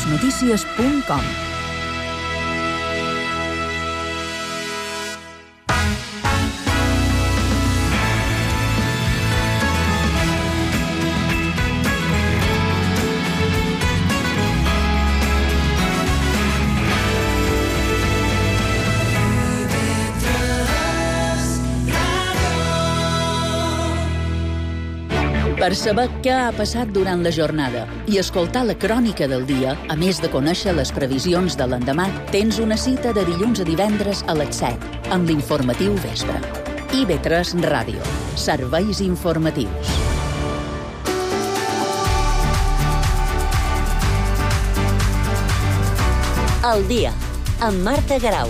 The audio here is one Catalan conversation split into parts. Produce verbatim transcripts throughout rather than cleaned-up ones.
les notícies punt com. Per saber què ha passat durant la jornada i escoltar la crònica del dia, a més de conèixer les previsions de l'endemà, tens una cita de dilluns a divendres a les set, amb l'informatiu vespre. I ve tres Ràdio. Serveis informatius. El dia, amb Marta Garau.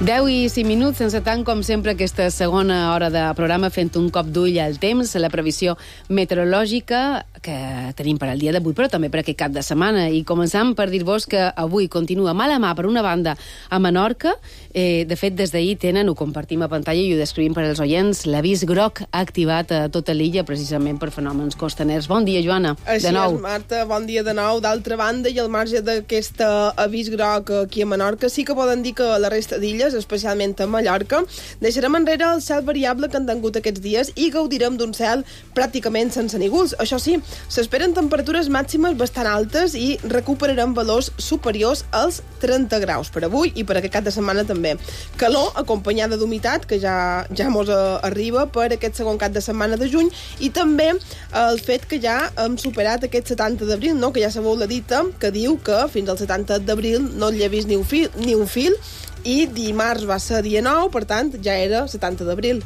deu i cinc minuts, sense tant com sempre aquesta segona hora de programa fent un cop d'ull al temps, la previsió meteorològica que tenim per al dia d'avui, però també per aquest cap de setmana. I començam per dir-vos que avui continua mal a mà, per una banda, a Menorca. Eh, de fet, des d'ahir tenen, ho compartim a pantalla i ho descrivim per als oients, l'avís groc activat a tota l'illa precisament per fenòmens costaners. Bon dia, Joana. Així de nou. és, Marta, bon dia de nou. D'altra banda, i al marge d'aquest avís groc aquí a Menorca, sí que poden dir que la resta d'illes, especialment a Mallorca, deixarem enrere el cel variable que han tingut aquests dies i gaudirem d'un cel pràcticament sense nígols. Això sí, s'esperen temperatures màximes bastant altes i recuperarem valors superiors als trenta graus per avui i per aquest cap de setmana també. Calor acompanyada d'humitat, que ja ja mos arriba per aquest segon cap de setmana de juny, i també el fet que ja hem superat aquest setanta d'abril, no? Que ja sabeu la dita que diu que fins al setanta d'abril no llevis ni un fil, ni un fil i dimarts va ser dia nou, per tant, ja era setanta d'abril.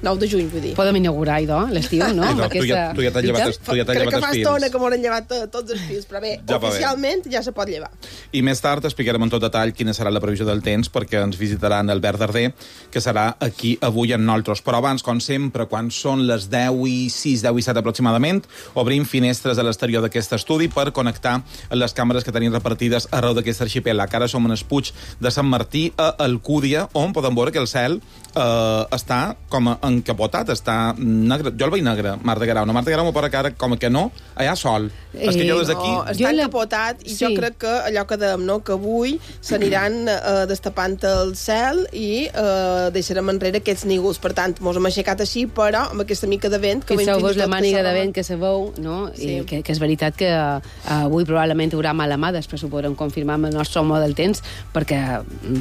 nou de juny, vull dir. Podem inaugurar, idò, l'estiu, no? Idò, tu ja, tu ja t'has llevat, tu ja t'has Crec llevat que fa els estona fils. que m'hauran llevat tots els fils, però bé, Ja va bé. oficialment ja se pot llevar. I més tard explicarem en tot detall quina serà la previsió del temps, perquè ens visitaran Albert Darder, que serà aquí avui amb nosaltres. Però abans, com sempre, quan són les deu i sis, deu i set aproximadament, obrim finestres a l'exterior d'aquest estudi per connectar les càmeres que tenim repartides arreu d'aquest arxipèlag. Ara som en el Puig de Sant Martí, a Alcúdia, on podem veure que el cel eh, està com encapotat, està negre. Jo el veig negre, Marta Garau. No, Marta Garau m'ho pora cara com que no, allà sol. Eh, és que jo des d'aquí... No, està encapotat i sí. Jo crec que allò que dèiem, no?, que avui s'aniran eh, destapant el cel i eh, deixarem enrere aquests nígols. Per tant, mos hem aixecat així, però amb aquesta mica de vent... que Fixeu-vos la màniga de vent que se veu, no? Sí. I que, que és veritat que uh, avui probablement hi haurà mala mà, després ho podrem confirmar amb el nostre home del temps, perquè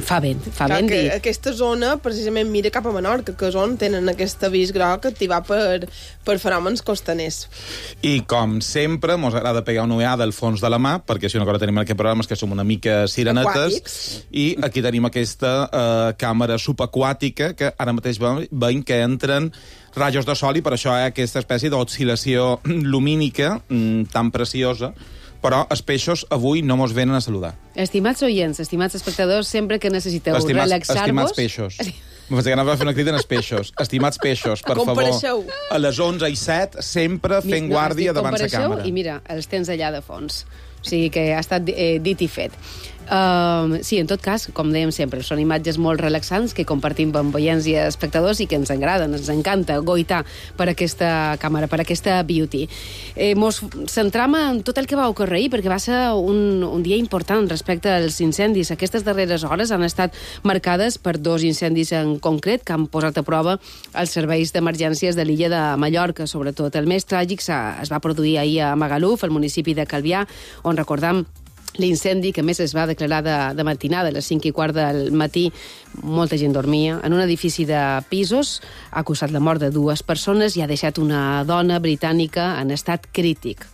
fa vent, fa Clar, vent. Que I... aquesta zona precisament mira cap a Menorca, que és on tenen aquest avís groc activat per, per fenòmens costaners. I com sempre, mos agrada pegar una ullada al fons de la mà, perquè si una cosa tenim en aquest programa és que som una mica sirenetes, aquàtics. I aquí tenim aquesta eh, càmera subaquàtica que ara mateix veiem que entren rajos de sol i per això hi ha aquesta espècie d'oscil·lació lumínica mm, tan preciosa, però els peixos avui no mos venen a saludar. Estimats oients, estimats espectadors, sempre que necessiteu estimats, relaxar-vos... Estimats peixos. M'ho que anava a fer una crida als peixos. Estimats peixos, per favor, a les onze i set, sempre fent no, guàrdia davant la càmera. I mira, els tens allà de fons. O sigui que ha estat eh, dit i fet. Uh, sí, en tot cas, com dèiem sempre, són imatges molt relaxants que compartim amb oients i espectadors i que ens agraden, ens encanta goitar per aquesta càmera, per aquesta beauty. Eh, mos centram en tot el que va ocorrer ahir, perquè va ser un, un dia important respecte als incendis. Aquestes darreres hores han estat marcades per dos incendis en concret que han posat a prova els serveis d'emergències de l'illa de Mallorca, sobretot. El més tràgic es va produir ahir a Magaluf, al municipi de Calvià, on recordam l'incendi que més es va declarar de, de matinada, a les cinc i quart del matí. Molta gent dormia. En un edifici de pisos ha causat la mort de dues persones i ha deixat una dona britànica en estat crític.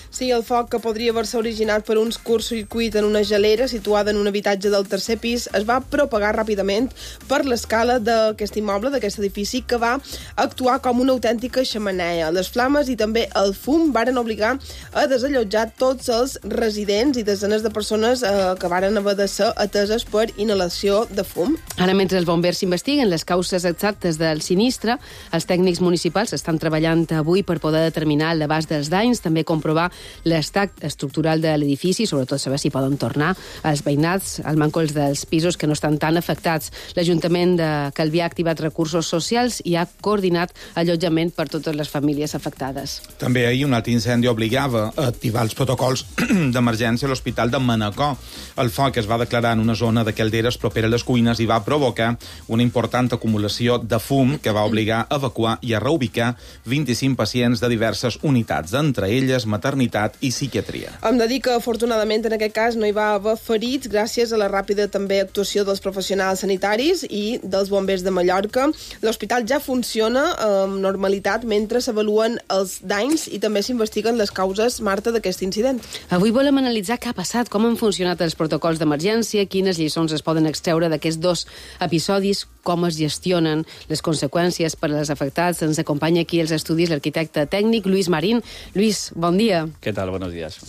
Sí, el foc, que podria haver-se originat per uns curtcircuit en una gelera situada en un habitatge del tercer pis, es va propagar ràpidament per l'escala d'aquest immoble, d'aquest edifici, que va actuar com una autèntica xemeneia. Les flames i també el fum varen obligar a desallotjar tots els residents i desenes de persones eh, que varen haver de ser ateses per inhalació de fum. Ara, mentre els bombers s'investiguen les causes exactes del sinistre, els tècnics municipals estan treballant avui per poder determinar l'abast dels danys, també comprovar l'estat estructural de l'edifici, sobretot saber si poden tornar als veïnats, als mancols dels pisos que no estan tan afectats. L'Ajuntament de Calvià ha activat recursos socials i ha coordinat allotjament per totes les famílies afectades. També ahir un altre incendi obligava a activar els protocols d'emergència a l'Hospital de Manacor. El foc es va declarar en una zona de calderes propera a les cuines i va provocar una important acumulació de fum que va obligar a evacuar i a reubicar vint-i-cinc pacients de diverses unitats, entre elles maternitat i psiquiatria. Hem de dir que, afortunadament, en aquest cas no hi va haver ferits gràcies a la ràpida també actuació dels professionals sanitaris i dels bombers de Mallorca. L'hospital ja funciona amb normalitat mentre s'avaluen els danys i també s'investiguen les causes, Marta, d'aquest incident. Avui volem analitzar què ha passat, com han funcionat els protocols d'emergència, quines lliçons es poden extreure d'aquests dos episodis, com es gestionen les conseqüències per als afectats. Ens acompanya aquí als estudis l'arquitecte tècnic Lluís Marín. Lluís, bon dia. ¿Qué tal? Buenos días.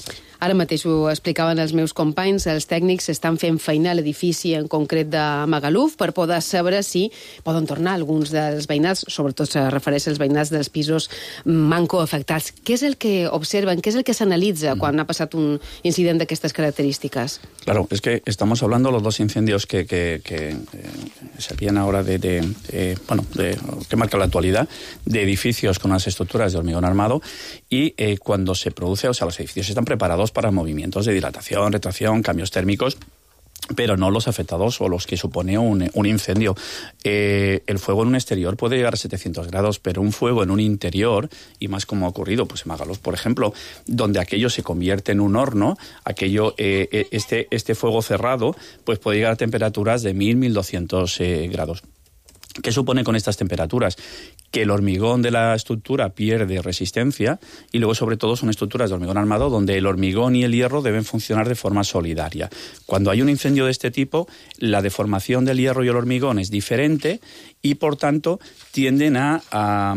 Ara mateix ho explicaven els meus companys, els tècnics estan fent feina a l'edifici en concret de Magaluf per poder saber si poden tornar alguns dels veïnats, sobretot se refereix als veïnats dels pisos manco afectats. Què és el que observen, què és el que s'analitza quan ha passat un incident d'aquestes característiques? Claro, es que estamos hablando de los dos incendios que, que, que eh, servían ahora de, de, de, bueno, de, que marcan la actualidad, de edificios con unas estructuras de hormigón armado y eh, cuando se produce, o sea, los edificios están preparados para movimientos de dilatación, retracción, cambios térmicos, pero no los afectados o los que supone un, un incendio. Eh, el fuego en un exterior puede llegar a setecientos grados, pero un fuego en un interior, y más como ha ocurrido pues en Magaluf, por ejemplo, donde aquello se convierte en un horno, aquello, eh, este, este fuego cerrado, pues puede llegar a temperaturas de mil, mil doscientos eh, grados. ¿Qué supone con estas temperaturas? Que el hormigón de la estructura pierde resistencia y luego, sobre todo, son estructuras de hormigón armado donde el hormigón y el hierro deben funcionar de forma solidaria. Cuando hay un incendio de este tipo, la deformación del hierro y el hormigón es diferente y, por tanto, tienden a... a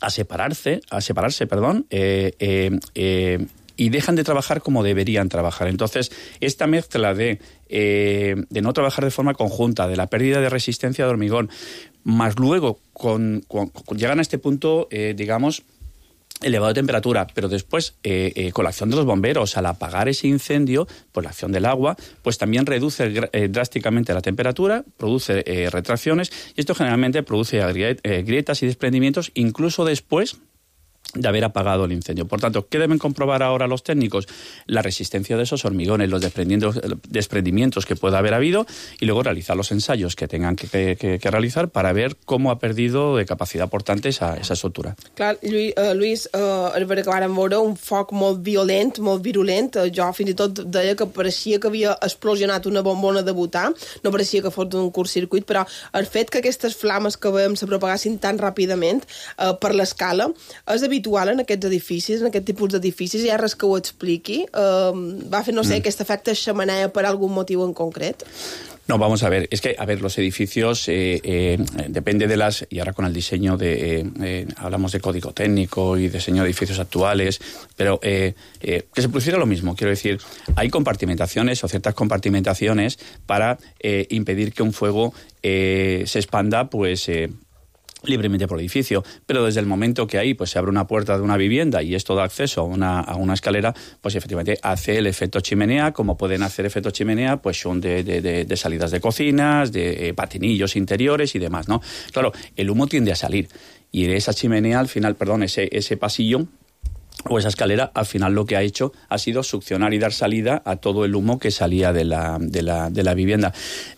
a separarse, a separarse, perdón, eh, eh, eh, y dejan de trabajar como deberían trabajar. Entonces, esta mezcla de, eh, de no trabajar de forma conjunta, de la pérdida de resistencia de hormigón, más luego con, con, con llegan a este punto, eh, digamos, elevado de temperatura, pero después, eh, eh, con la acción de los bomberos, al apagar ese incendio, pues la acción del agua, pues también reduce eh, drásticamente la temperatura, produce eh, retracciones, y esto generalmente produce eh, grietas y desprendimientos, incluso después de haber apagado el incendio. Por tanto, ¿qué deben comprobar ahora los técnicos? La resistencia de esos hormigones, los desprendimientos que pueda haber habido, y luego realizar los ensayos que tengan que, que, que realizar para ver cómo ha perdido de capacidad portante esa, esa estructura. Clar, Lluís, uh, Lluís uh, és veritat que vàrem veure un foc molt violent, molt virulent. Uh, jo fins i tot deia que pareixia que havia explosionat una bombona de butà, no pareixia que fos un curtcircuit, però el fet que aquestes flames que veiem se propagassin tan ràpidament uh, per l'escala és habitual en aquests edificis, en aquest tipus d'edificis. Hi ha res que ho expliqui? Uh, va fer, no sé, mm. aquest efecte xemeneia per algun motiu en concret? No, vamos a ver, es que, a ver, los edificios, eh, eh, depende de las, y ahora con el diseño de, eh, eh, hablamos de código técnico y diseño de edificios actuales, pero eh, eh, que se produciera lo mismo, quiero decir, hay compartimentaciones o ciertas compartimentaciones para eh, impedir que un fuego eh, se expanda, pues... Eh, libremente por el edificio, pero desde el momento que ahí pues se abre una puerta de una vivienda y esto da acceso a una, a una escalera, pues efectivamente hace el efecto chimenea, como pueden hacer efecto chimenea, pues son de, de, de, de salidas de cocinas, de eh, patinillos interiores y demás, ¿no? Claro, el humo tiende a salir y de esa chimenea al final, perdón, ese, ese pasillo o esa escalera, al final lo que ha hecho ha sido succionar y dar salida a todo el humo que salía de la, de la, de la vivienda.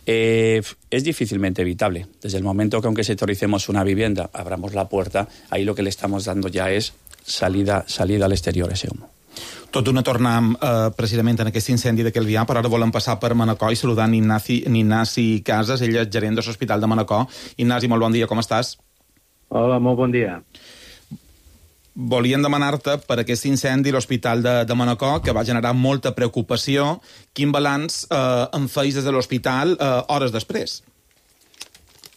Eh, es difícilmente evitable. Desde el momento que aunque sectoricemos una vivienda, abramos la puerta, ahí lo que le estamos dando ya es salida, salida al exterior ese humo. Tot d'una tornem eh, precisament en aquest incendi de Calvià, però ara volem passar per Manacor i saludar Ignasi, Ignasi Casas, ell és gerent de l'Hospital de Manacor. Ignasi, molt bon dia, com estàs? Hola, molt bon dia. volíem demanar-te per aquest incendi a l'Hospital de, de Manacor, que va generar molta preocupació. Quin balanç eh, en feis des de l'hospital eh, hores després?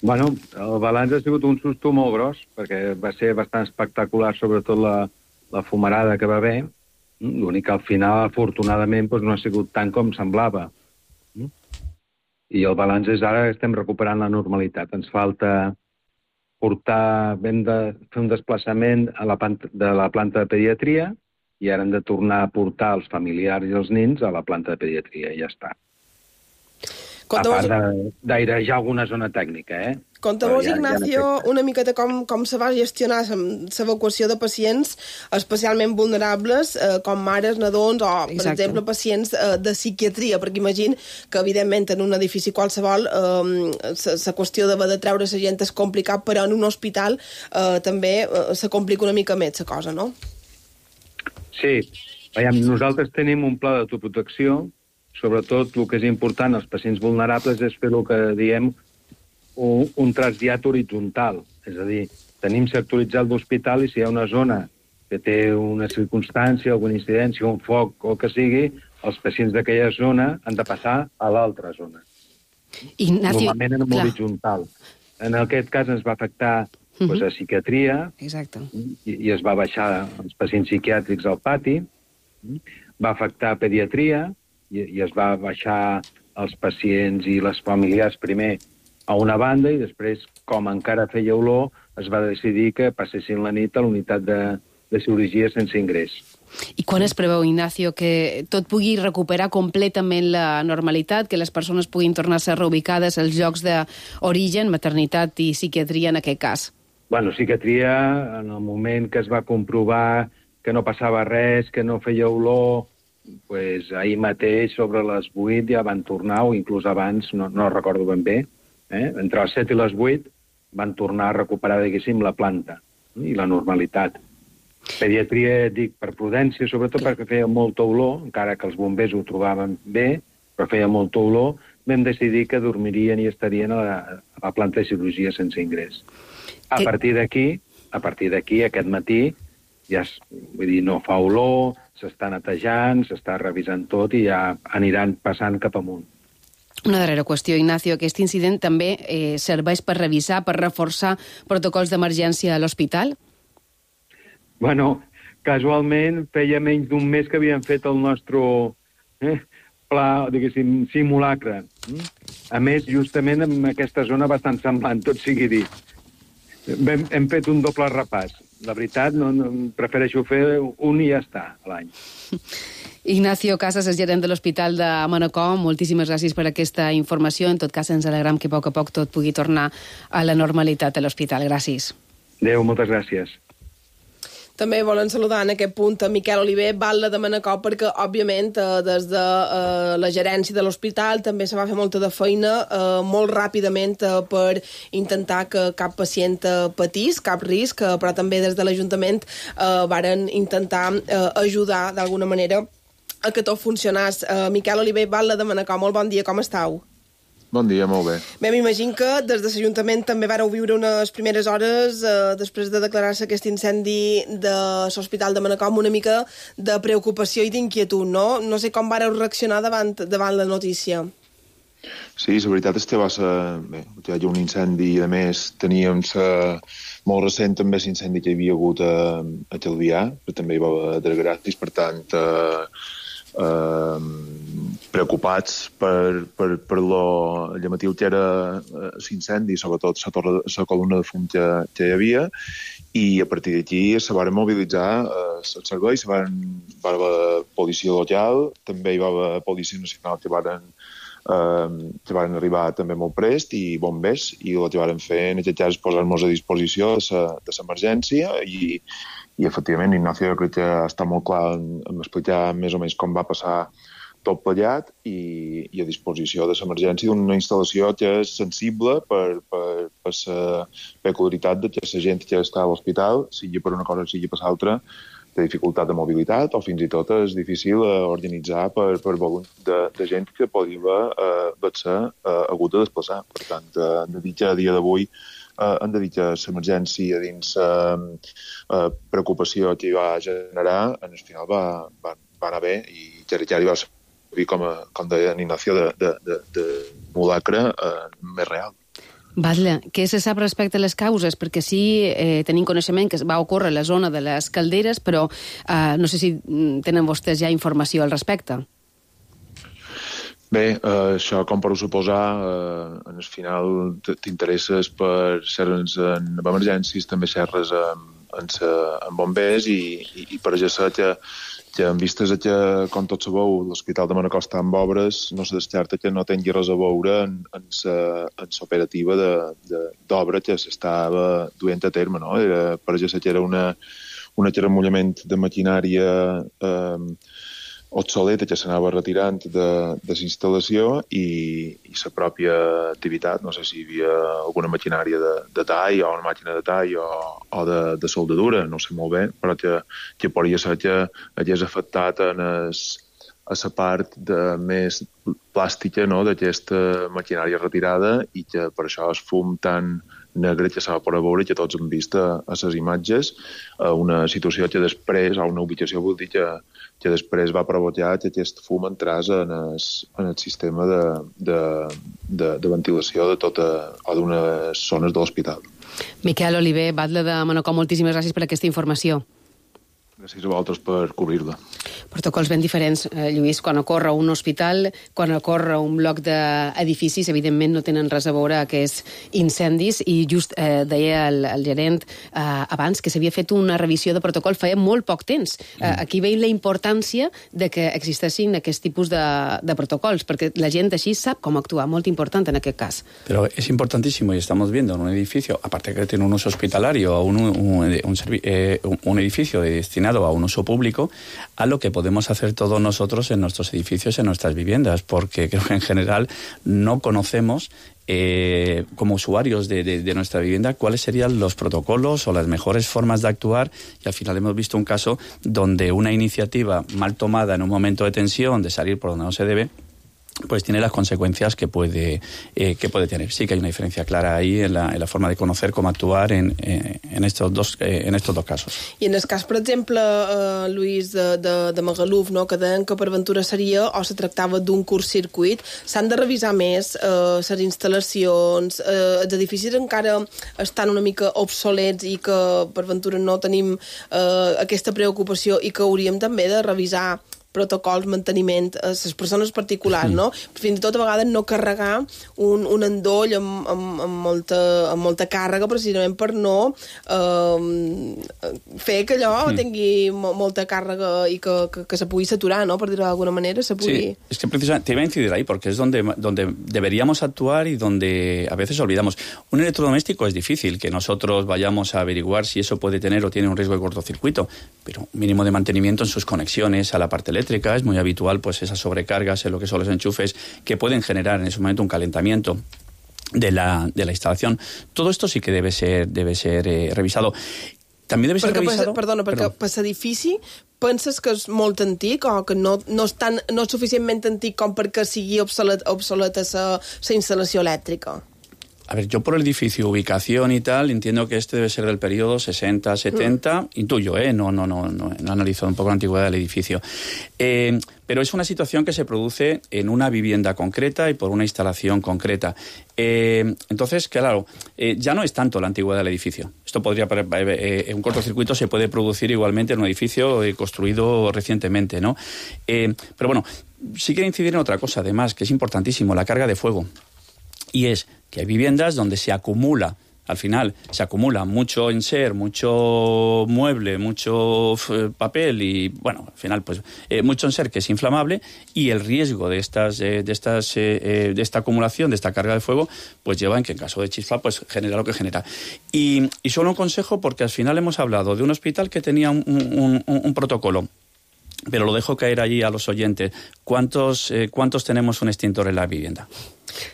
Bueno, el balanç ha sigut un susto molt gros, perquè va ser bastant espectacular, sobretot la, la fumarada que va haver. L'únic que al final, afortunadament, doncs no ha sigut tant com semblava. I el balanç és ara que estem recuperant la normalitat. Ens falta portar, hem de fer un desplaçament a la planta, de la planta de pediatria i ara hem de tornar a portar els familiars i els nins a la planta de pediatria i ja està. Conta-mos... A part d'airejar alguna zona tècnica, eh? Conta-mos, ja, Ignacio, ja una miqueta com, com se va gestionar l'evacuació de pacients especialment vulnerables, eh, com mares, nadons o, per Exacte. exemple, pacients eh, de psiquiatria, perquè imagino que, evidentment, en un edifici qualsevol la eh, qüestió d'haver de treure la gent és complicat, però en un hospital eh, també eh, se complica una mica més la cosa, no? Sí. Veiem, nosaltres tenim un pla d'autoprotecció. Sobretot, el que és important als pacients vulnerables és fer el que diem un, un trasllat horitzontal. És a dir, tenim sectoritzat l'hospital i si hi ha una zona que té una circumstància, alguna incidència, un foc o el que sigui, els pacients d'aquella zona han de passar a l'altra zona. Ignacio, Normalment en clar. horitzontal. En aquest cas ens va afectar uh-huh. doncs, a psiquiatria Exacte. i, i es va baixar els pacients psiquiàtrics al pati, va afectar pediatria, I, i es va baixar els pacients i les familiars primer a una banda i després, com encara feia olor, es va decidir que passessin la nit a l'unitat de, de cirurgia sense ingrés. I quan es preveu, Ignacio, que tot pugui recuperar completament la normalitat, que les persones puguin tornar a ser reubicades als llocs d'origen, maternitat i psiquiatria en aquest cas? Bueno, psiquiatria, en el moment que es va comprovar que no passava res, que no feia olor, pues, ahir mateix, sobre les vuit, ja van tornar, o inclús abans, no, no recordo ben bé, eh? entre les set i les vuit van tornar a recuperar, diguéssim, la planta i la normalitat. Pediatria, dic, per prudència, sobretot perquè feia molta olor, encara que els bombers ho trobaven bé, però feia molta olor, vam decidir que dormirien i estarien a la, a la planta de cirurgia sense ingrés. A partir d'aquí, a partir d'aquí, aquest matí, ja, vull dir, no fa olor, s'està netejant, s'està revisant tot i ja aniran passant cap amunt. Una darrera qüestió, Ignacio. Aquest incident també eh, serveix per revisar, per reforçar protocols d'emergència a l'hospital? Bueno, casualment feia menys d'un mes que havíem fet el nostre eh, pla, diguéssim, simulacre. A més, justament en aquesta zona bastant semblant, tot sigui dit. Hem, hem fet un doble repàs. La veritat, no, no, prefereixo fer un i ja està, a l'any. Ignacio Casas, és gerent de l'Hospital de Manacor. Moltíssimes gràcies per aquesta informació. En tot cas, ens alegram que a poc a poc tot pugui tornar a la normalitat a l'hospital. Gràcies. Adéu, moltes gràcies. També volen saludar en aquest punt a Miquel Oliver, batlle de Manacor, perquè, òbviament, eh, des de eh, la gerència de l'hospital també se va fer molta de feina eh, molt ràpidament eh, per intentar que cap pacient eh, patís, cap risc, eh, però també des de l'Ajuntament eh, varen intentar eh, ajudar d'alguna manera a que tot funcionés. Eh, Miquel Oliver, batlle de Manacor, molt bon dia, com estàu? Bon dia, molt bé. Bé, m'imagino que des de l'Ajuntament també vareu viure unes primeres hores eh, després de declarar-se aquest incendi de l'Hospital de Manacor amb una mica de preocupació i d'inquietud, no? No sé com vareu reaccionar davant, davant la notícia. Sí, la veritat és que va ser... Bé, hi ha un incendi, a més, teníem sa, molt recent també l'incendi que hi havia hagut a, a Calvià, però també hi va haver gratis, per tant... Eh, Eh, preocupats per, per, per lo llamatiu que era eh, l'incendi, sobretot la, torre, la columna de fum que, que hi havia, i a partir d'aquí se van mobilitzar eh, els serveis, se van, va haver policia local, també hi va haver policia nacional que van, eh, que van arribar també molt prest, i bombers, i el que van fer en aquest cas és posar-nos a disposició de l'emergència, i I, efectivament, Ignacio, jo crec que està molt clar en, en explicar més o menys com va passar tot plegat i, i a disposició de l'emergència d'una instal·lació que és sensible per, per, per la peculiaritat de que la gent que està a l'hospital, sigui per una cosa o sigui per l'altra, té dificultat de mobilitat o fins i tot és difícil eh, organitzar per, per volum de, de gent que podria eh, ser eh, hagut de desplaçar. Per tant, eh, de dir que a dia d'avui eh, hem de dir que l'emergència dins la eh, eh, preocupació que hi va generar, en el final va, va, va anar bé i ja, ja hi va servir com, a, com deia Ignacio, de, de, de, de mulacre eh, més real. Batlle, què se sap respecte a les causes? Perquè sí, eh, tenim coneixement que va ocórrer a la zona de les calderes, però eh, no sé si tenen vostès ja informació al respecte. Bé, eh, això, com per suposar, eh, en el final t'interesses per xerres en emergències, també xerres amb, amb, amb bombers i, i, i per això que que en vistes que, com tots sabeu, l'Hospital de Manacor està en obres, no se descarta que no tingui res a veure en, en l'operativa d'obra que s'estava duent a terme. No? Era, per això que era una, un acaremollament de maquinària eh, obsoleta que s'anava retirant de, de la instal·lació i, i la pròpia activitat. No sé si hi havia alguna maquinària de, de tall o una màquina de tall o, o de, de soldadura, no sé molt bé, però que, que podria ser que hagués afectat en es, a la part de més plàstica, no?, d'aquesta maquinària retirada i que per això el fum tan negre que s'ha pogut veure, que tots hem vist a, a les imatges, a una situació que després, a una ubicació, vull dir que, que després va provocar que aquest fum entrés en el, en el sistema de, de, de, de ventilació de tota, o d'unes zones de l'hospital. Miquel Oliver, batlle de Manacor, moltíssimes gràcies per aquesta informació. Gràcies a vosaltres per cobrir-la. Protocols ben diferents, eh, Lluís, quan ocorre un hospital, quan ocorre un bloc d'edificis, evidentment no tenen res a veure aquests incendis, i just eh, deia el, el gerent eh, abans que s'havia fet una revisió de protocol feia molt poc temps. Eh, aquí veiem la importància de que existessin aquest tipus de, de protocols, perquè la gent així sap com actuar, molt important en aquest cas. Pero es importantísimo, y estamos viendo en un edificio, aparte que tiene un uso hospitalario, un, un, un, un, eh, un edificio destinado a un uso público, a lo que podemos hacer todos nosotros en nuestros edificios, en nuestras viviendas, porque creo que en general no conocemos eh, como usuarios de, de, de nuestra vivienda cuáles serían los protocolos o las mejores formas de actuar, y al final hemos visto un caso donde una iniciativa mal tomada en un momento de tensión, de salir por donde no se debe, pues tiene las consecuencias que puede eh, que puede tener. Sí que hay una diferencia clara ahí en la, en la forma de conocer cómo actuar en, eh, en, estos dos, eh, en estos dos casos. I en el cas, per exemple, eh, Lluís, de, de, de Magaluf, no, que deien que per ventura seria o se tractava d'un curt-circuit, s'han de revisar més eh, les instal·lacions, eh, els edificis encara estan una mica obsolets i que per ventura no tenim eh, aquesta preocupació i que hauríem també de revisar protocols, manteniment a les persones particulars, no? Fins i tot a vegades no carregar un, un endoll amb, amb, amb, molta, amb molta càrrega precisament per no eh, fer que allò mm. tingui mo, molta càrrega i que, que, que se pugui saturar, no? Per dir-ho d'alguna manera, se pugui... Sí, es que precisamente te iba a incidir ahí porque es donde, donde deberíamos actuar y donde a veces olvidamos. Un electrodoméstico es difícil que nosotros vayamos a averiguar si eso puede tener o tiene un riesgo de cortocircuito, pero un mínimo de mantenimiento en sus conexiones a la parte eléctrica. Es muy habitual pues esas sobrecargas en lo que son los enchufes que pueden generar en ese momento un calentamiento de la, de la instalación. Todo esto sí que debe ser, debe ser eh, revisado. També debe ser perquè, revisado... Perdona, perquè per l'edifici penses que és molt antic o que no, no, és tan, no és suficientment antic com perquè sigui obsolet, obsoleta la instal·lació elèctrica? A ver, yo por el edificio, ubicación y tal, entiendo que este debe ser del periodo sesenta, setenta, mm. intuyo, ¿eh? No, no, no, no, no he analizado un poco la antigüedad del edificio. Eh, pero es una situación que se produce en una vivienda concreta y por una instalación concreta. Eh, entonces, claro, eh, ya no es tanto la antigüedad del edificio. Esto podría, eh, un cortocircuito se puede producir igualmente en un edificio eh, construido recientemente, ¿no? Eh, pero bueno, sí quiero incidir en otra cosa, además, que es importantísimo, la carga de fuego. Y es que hay viviendas donde se acumula, al final, se acumula mucho enser, mucho mueble, mucho f- papel y, bueno, al final, pues, eh, mucho enser que es inflamable, y el riesgo de estas, eh, de estas, eh, eh, de esta acumulación, de esta carga de fuego, pues lleva en que en caso de chispa, pues genera lo que genera. Y, y solo un consejo, porque al final hemos hablado de un hospital que tenía un, un, un, un protocolo, pero lo dejo caer allí a los oyentes. ¿Cuántos, eh, ¿Cuántos tenemos un extintor en la vivienda?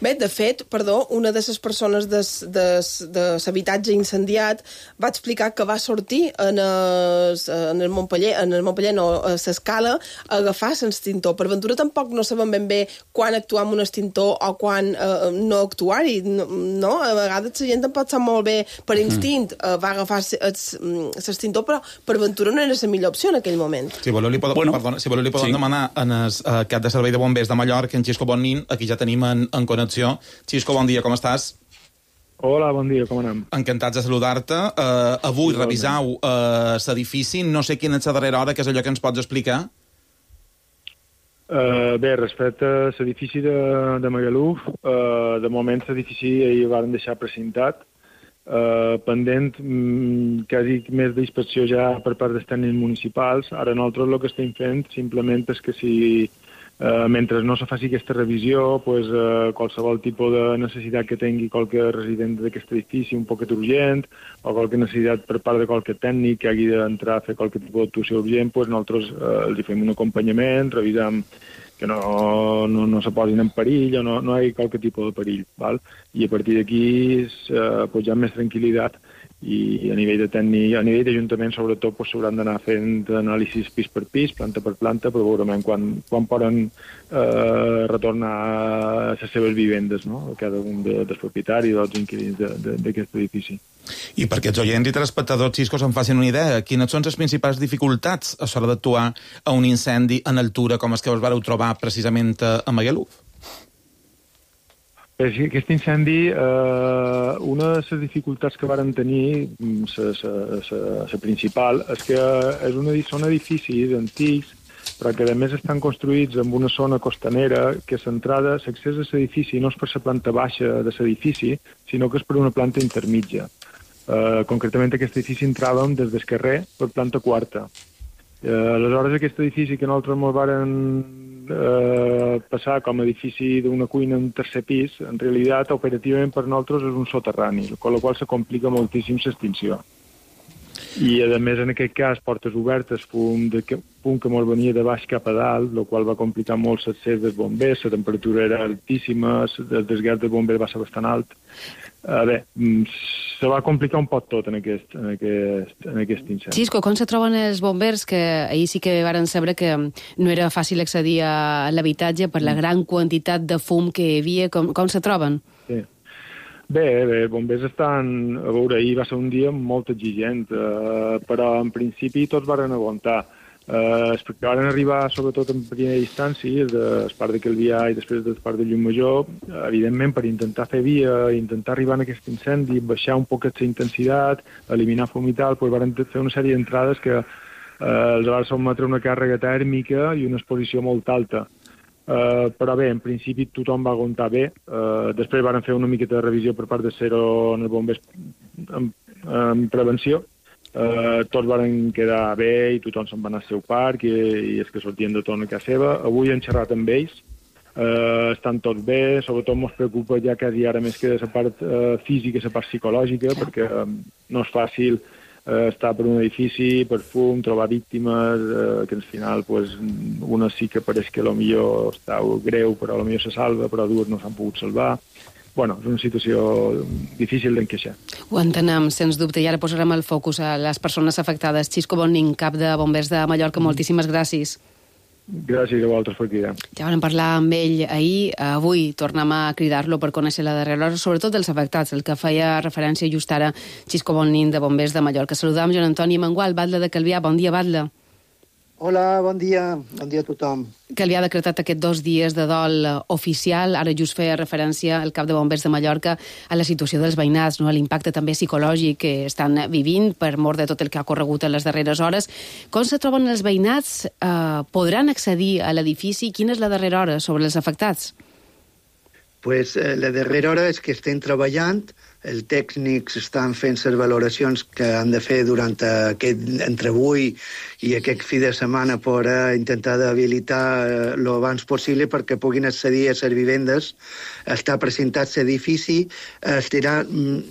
Bé, de fet, perdó, una de les persones de, de, de l'habitatge incendiat va explicar que va sortir en el, en el Montpeller, en el Montpeller no, a l'escala, a agafar l'extintor. Per ventura tampoc no sabem ben bé quan actuar amb un extintor o quan eh, no actuar-hi, no? A vegades la gent tampoc sap molt bé, per instint, eh, va agafar l'extintor, però per ventura no era la millor opció en aquell moment. Si voleu li podem, bueno, perdona, si voleu li podem sí. demanar en el uh, cap de servei de bombers de Mallorca, en Xisco Bonnin, aquí ja tenim en, en connexió. Xisco, bon dia, com estàs? Hola, bon dia, com anem? Encantats de saludar-te. Uh, avui revisau uh, l'edifici, no sé quina és la darrera hora, que és allò que ens pots explicar? Uh, bé, respecte a l'edifici de, de Magaluf, uh, de moment l'edifici hi van deixar precintat, uh, pendent mm, quasi més d'inspecció ja per part dels tècnics municipals. Ara nosaltres el que estem fent simplement és que si Uh, mentre no se faci aquesta revisió, pues, uh, qualsevol tipus de necessitat que tingui qualque resident d'aquest edifici un poquet urgent, o qualque necessitat per part de qualque tècnic que hagi d'entrar a fer qualque tipus d'actuació urgent, pues, nosaltres uh, els fem un acompanyament, revisam que no, no, no se posin en perill o no, no hi hagi qualque tipus de perill. Val? I a partir d'aquí uh, pues, hi ha més tranquil·litat. I a nivell de tècnic, a nivell d'Ajuntament, sobretot, pues, s'hauran d'anar fent anàlisis pis per pis, planta per planta, però veurem quan, quan poden eh, retornar a les seves vivendes, no? Cada un de, dels propietaris o dels inquilins d'aquest edifici. I perquè els oients i telespectadors, Xisco, se'n facin una idea, quines són les principals dificultats a l'hora d'actuar a un incendi en altura com els que us vareu trobar precisament a Magaluf? Aquest incendi, eh, una de les dificultats que varen tenir, la principal, és que és una, són edificis antics, però que a més estan construïts en una zona costanera que l'entrada, l'accés a l'edifici no és per la planta baixa de l'edifici, sinó que és per una planta intermitja. Eh, concretament aquest edifici entràvem des del carrer per planta quarta. Eh, aleshores aquest edifici que nosaltres ens varen eh, passar com a edifici d'una cuina en tercer pis, en realitat operativament per nosaltres és un soterrani, amb la qual se complica moltíssim l'extinció. I a més en aquest cas portes obertes, fum, de, fum que molt venia de baix cap a dalt, el qual va complicar molt l'accés dels bombers, la temperatura era altíssima, el desgast dels bombers va ser bastant alt. A veure, se va complicar un poc tot en aquest, en aquest, en aquest incendi. Xisco, com se troben els bombers? Que ahir sí que varen saber que no era fàcil accedir a l'habitatge per la gran quantitat de fum que hi havia. Com, com se troben? Sí. Bé, bé, els bombers estan... A veure, ahir va ser un dia molt exigent, eh, però en principi tots varen aguantar. Eh, perquè van arribar, sobretot en primera instància, del part de Calvià i després del part de Llumajor, evidentment per intentar fer via, intentar arribar a aquest incendi, baixar un poquet la intensitat, eliminar fum i tal, doncs van fer una sèrie d'entrades que eh, els van sotmetre una càrrega tèrmica i una exposició molt alta. Uh, però bé, en principi tothom va aguantar bé. Uh, després van fer una miqueta de revisió per part de Cero en els bombers en, en prevenció. Uh, tots van quedar bé i tothom se'n va anar al seu parc i, i els que sortien de torn a casa seva. Avui hem xerrat amb ells. Uh, estan tots bé, sobretot ens preocupa ja quasi ara més que la part uh, física i la part psicològica, perquè um, no és fàcil uh, estar per un edifici, per fum, trobar víctimes, uh, que al final pues, una sí que pareix que potser està greu, però potser se salva, però dues no s'han pogut salvar. Bueno, és una situació difícil d'encaixar. Ho entenem, sens dubte, i ara posarem el focus a les persones afectades. Xisco Bonnin, cap de Bombers de Mallorca, mm. moltíssimes gràcies. Gràcies a vosaltres per cridar. Ja vam parlar amb ell ahir, avui tornem a cridar-lo per conèixer la darrera hora, sobretot dels afectats, el que feia referència just ara Xisco Bonnin de Bombers de Mallorca. Saludam Joan Antoni Mangual, batlle de Calvià. Bon dia, batlle. Hola, bon dia. Bon dia a tothom. Calvià ha decretat aquests dos dies de dol oficial. Ara just feia referència el cap de Bombers de Mallorca a la situació dels veïnats, no? A l'impacte també psicològic que estan vivint per mort de tot el que ha corregut en les darreres hores. Com se troben els veïnats? Eh, podran accedir a l'edifici? Quina és la darrera hora sobre els afectats? Pues, eh, la darrera hora és que estem treballant, els tècnics estan fent les valoracions que han de fer durant aquest, entre avui i aquest fi de setmana per uh, intentar d'habilitar el uh, abans possible perquè puguin accedir a les vivendes. Està presentat l'edifici, estirà el,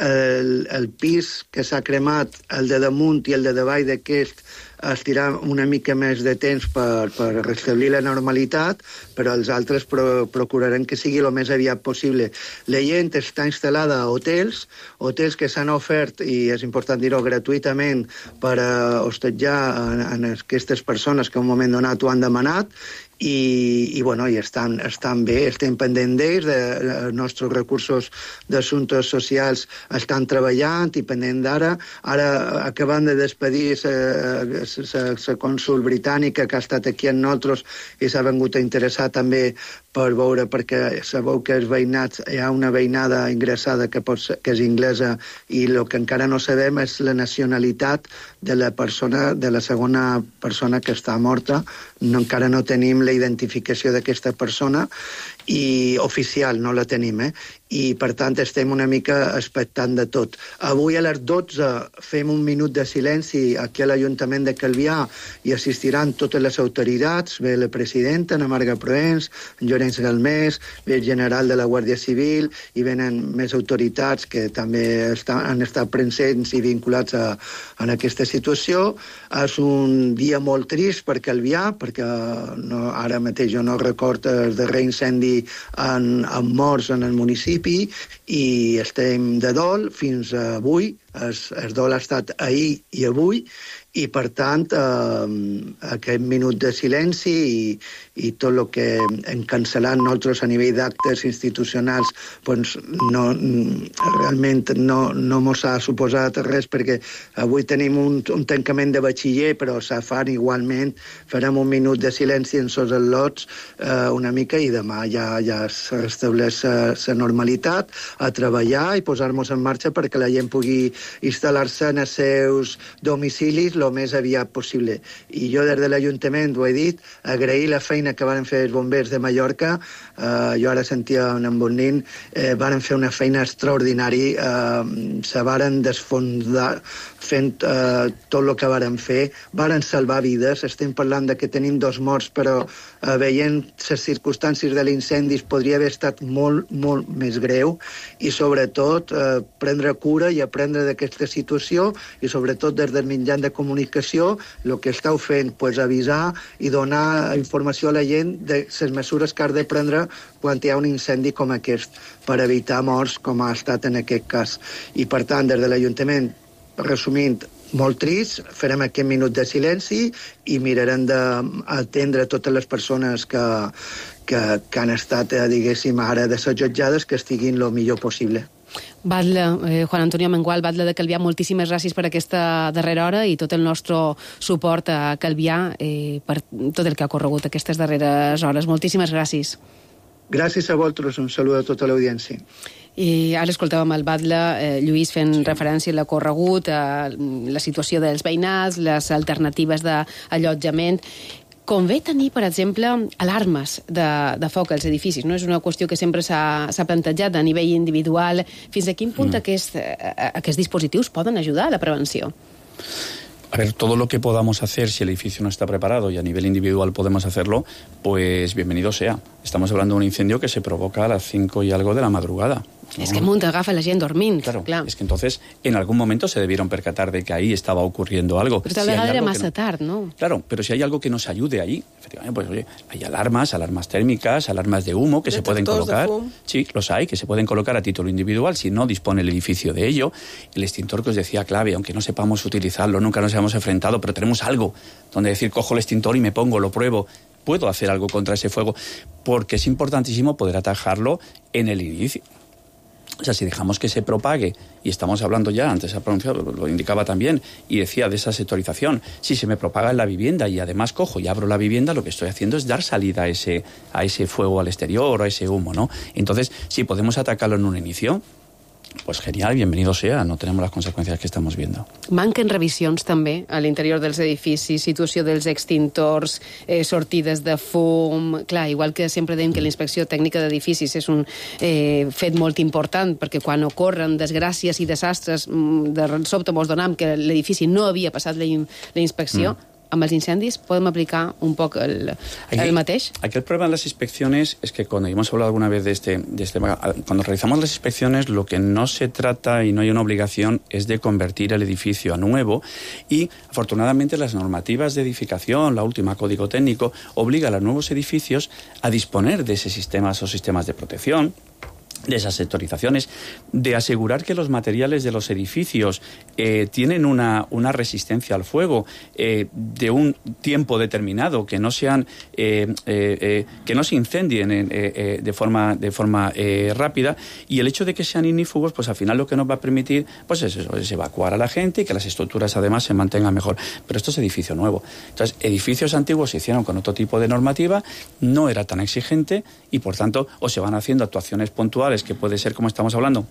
el, el pis que s'ha cremat, el de damunt i el de davall d'aquest, estirar una mica més de temps per, per restablir la normalitat, però els altres pro, procurarem que sigui el més aviat possible. La gent està instal·lada a hotels, hotels que s'han ofert, i és important dir-ho, gratuïtament per uh, hostatjar en, en aquestes persones que en un moment donat ho han demanat, i, i, bueno, i estan, estan bé, estem pendents d'ells, de, de, els nostres recursos d'assumptes socials estan treballant i pendent d'ara. Ara, acabant de despedir la cònsul britànica que ha estat aquí amb nosaltres i s'ha vengut a interessar també per veure, perquè sabeu que els veïnats, hi ha una veïnada ingressada que, pot ser, que és inglesa, i el que encara no sabem és la nacionalitat de la persona, de la segona persona que està morta. No, encara no tenim la identificació d'aquesta persona, i oficial no la tenim, eh? I per tant estem una mica expectant de tot. Avui a les dotze fem un minut de silenci aquí a l'Ajuntament de Calvià i assistiran totes les autoritats, ve la presidenta, Ana Marga Proens, en Llorenç Galmés, ve el general de la Guàrdia Civil, i venen més autoritats que també estan, han estat presents i vinculats a, a aquesta situació. És un dia molt trist per Calvià, perquè no, ara mateix jo no recordo el darrer incendi en, en morts en el municipi, i estem de dol fins avui. El, el dol ha estat ahir i avui, i per tant eh, aquest minut de silenci i, i tot el que hem cancel·lat nosaltres a nivell d'actes institucionals doncs no, realment no, no mos ha suposat res, perquè avui tenim un, un tancament de batxiller, però se fan igualment, farem un minut de silenci en sos al·lots eh, una mica, i demà ja, ja es restableix la normalitat, a treballar i posar-nos en marxa perquè la gent pugui instal·lar-se en els seus domicilis el més aviat possible. I jo des de l'Ajuntament ho he dit, agrair la feina que van fer els bombers de Mallorca. Uh, jo ara sentia en Bonin, eh, van fer una feina extraordinària, uh, se varen desfondar fent uh, tot el que varen fer, varen salvar vides. Estem parlant de que tenim dos morts, però uh, veient les circumstàncies de l'incendi podria haver estat molt, molt més greu, i sobretot uh, prendre cura i aprendre d'aquesta situació, i sobretot des del mitjà de comunicació el que esteu fent, pues, avisar i donar informació a la gent de les mesures que has de prendre quan hi ha un incendi com aquest, per evitar morts com ha estat en aquest cas. I per tant, des de l'Ajuntament, resumint, molt trist, farem aquest minut de silenci i mirarem d'atendre totes les persones que, que, que han estat, eh, diguéssim, ara desallotjades, que estiguin el millor possible. Batlle, eh, Juan Antonio Mengual, batlle de Calvià, moltíssimes gràcies per aquesta darrera hora i tot el nostre suport a Calvià eh, per tot el que ha corregut aquestes darreres hores. Moltíssimes gràcies. Gràcies a vosaltres, un salut a tota l'audiència. I ara escoltàvem el batlle eh, Lluís fent sí. referència a l'acorregut, a la situació dels veïnats, les alternatives d'allotjament. Convé tenir, per exemple, alarmes de, de foc als edificis, no? És una qüestió que sempre s'ha plantejat a nivell individual. Fins a quin punt mm. aquest, aquests dispositius poden ajudar a la prevenció? A ver, todo lo que podamos hacer, si el edificio no está preparado y a nivel individual podemos hacerlo, pues bienvenido sea. Estamos hablando de un incendio que se provoca a las cinco y algo de la madrugada. ¿no? Es que munta agafa la gent dormint. Claro, clar. Es que entonces en algún momento se debieron percatar de que ahí estaba ocurriendo algo. Pero tal si vegada era massa no... tard, ¿no? Claro, pero si hay algo que nos ayude ahí, efectivamente, pues oye, hay alarmas, alarmas térmicas, alarmas de humo que se pueden colocar. Sí, los hay, que se pueden colocar a título individual si no dispone el edificio de ello. El extintor que os decía clave, aunque no sepamos utilizarlo, nunca nos hayamos enfrentado, pero tenemos algo donde decir, cojo el extintor y me pongo, lo pruebo, puedo hacer algo contra ese fuego, porque es importantísimo poder atajarlo en el inicio. O sea, si dejamos que se propague, y estamos hablando ya, antes ha pronunciado, lo indicaba también, y decía de esa sectorización, si se me propaga en la vivienda y además cojo y abro la vivienda, lo que estoy haciendo es dar salida a ese, a ese fuego al exterior, a ese humo, ¿no? Entonces, si podemos atacarlo en un inicio, pues genial, bienvenido sea, no tenemos las conseqüències que estamos viendo. Manquen revisions també a l'interior dels edificis, situació dels extintors, eh, sortides de fum... Clar, igual que sempre dèiem que la inspecció tècnica d'edificis és un eh, fet molt important, perquè quan ocorren desgràcies i desastres, de sobte mos donam que l'edifici no havia passat la, in la inspecció, mm. amb els incendis podem aplicar un poc el, aquí, el mateix? Aquí el problema de las inspecciones es que cuando hemos hablado alguna vez de este, de este... Cuando realizamos las inspecciones, lo que no se trata y no hay una obligación es de convertir el edificio a nuevo y, afortunadamente, las normativas de edificación, la última Código Técnico, obliga a los nuevos edificios a disponer de ese sistemas o sistemas de protección, de esas sectorizaciones, de asegurar que los materiales de los edificios eh, tienen una, una resistencia al fuego eh, de un tiempo determinado, que no sean eh, eh, eh, que no se incendien eh, eh, de forma de forma eh, rápida, y el hecho de que sean ignífugos, pues al final lo que nos va a permitir pues es, eso, es evacuar a la gente y que las estructuras además se mantengan mejor. Pero esto es edificio nuevo. Entonces, edificios antiguos se hicieron con otro tipo de normativa, no era tan exigente y por tanto o se van haciendo actuaciones puntuales, que puede ser, como estamos hablando,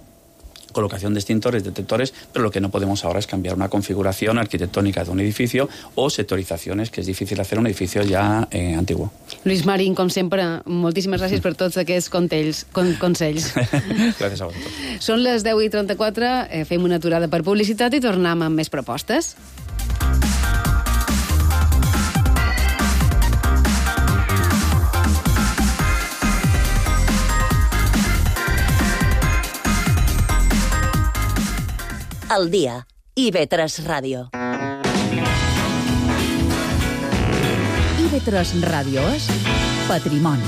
colocación de extintores, detectores, pero lo que no podemos ahora es cambiar una configuración arquitectónica de un edificio o sectorizaciones, que és difícil hacer un edificio ja eh, antiguo. Luis Marín, com sempre, moltíssimes gràcies per tots aquests consells. Con, consells. Gràcies a vosaltres. Són les deu i trenta-quatre, eh, fem una aturada per publicitat i tornem amb més propostes. Al dia, I V tres Ràdio. I V tres Ràdio és Patrimoni.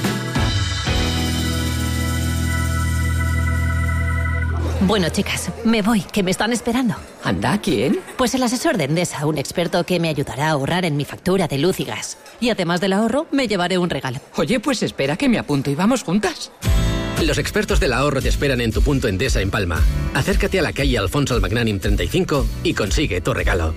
Bueno, chicas, me voy, que me están esperando. ¿Anda? ¿Quién? Pues el asesor de Endesa, un experto que me ayudará a ahorrar en mi factura de luz y gas. Y además del ahorro, me llevaré un regalo. Oye, pues espera que me apunto y vamos juntas. Los expertos del ahorro te esperan en tu punto Endesa en Palma. Acércate a la calle Alfonso el Magnànim treinta y cinco y consigue tu regalo.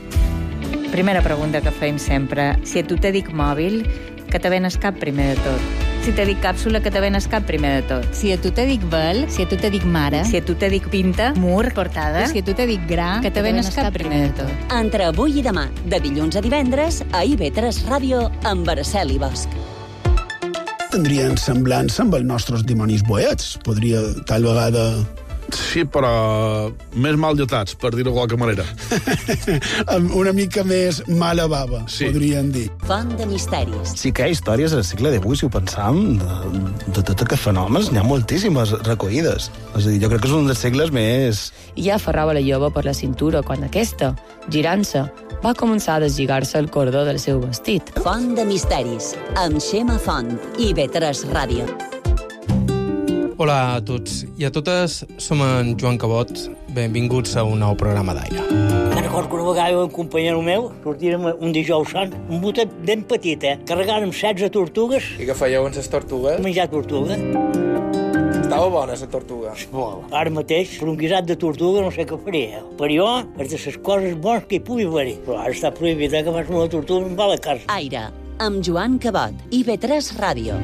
Primera pregunta que fem sempre. Si a tu te dic mòbil, que te venes cap primer de tot. Si te dic càpsula, que te venes cap primer de tot. Si a tu te dic vel, si a tu te dic mare, si a tu te dic pinta, mur, portada, si a tu te dic gra, que te venes cap primer de tot. Entre avui i demà, de dilluns a divendres, a I V tres Ràdio, amb Araceli Bosch. Tindrien semblança amb els nostres dimonis boets. Podria, tal vegada... Sí, però més mal dotats, per dir-ho de qualque manera. Una mica més mala bava, sí. Podríem dir. Font de misteris. Sí que hi ha històries al segle divuit, si ho pensam, de, de tot aquests fenòmens, n'hi ha moltíssimes recollides. És a dir, jo crec que és un dels segles més... I ja aferrava la jove per la cintura quan aquesta, girant-se, va començar a deslligar-se el cordó del seu vestit. Font de misteris, amb Xema Font, I V tres Ràdio. Hola a tots i a totes, som en Joan Cabot. Benvinguts a un nou programa d'aire. Me'n recordo que una vegada un companyero meu sortirem un dijous sant, un botet ben petit, eh? Carregàrem setze tortugues. I què fèieu amb les tortugues? Menjar tortuga. Estava bona, la tortuga. Molt. Ara mateix, per un guisat de tortuga no sé què faria. Per jo, és de les coses bones que hi pugui haver. Però ara està prohibit, eh, que fas una tortuga en va a la casa. Aire, amb Joan Cabot, I V tres Ràdio.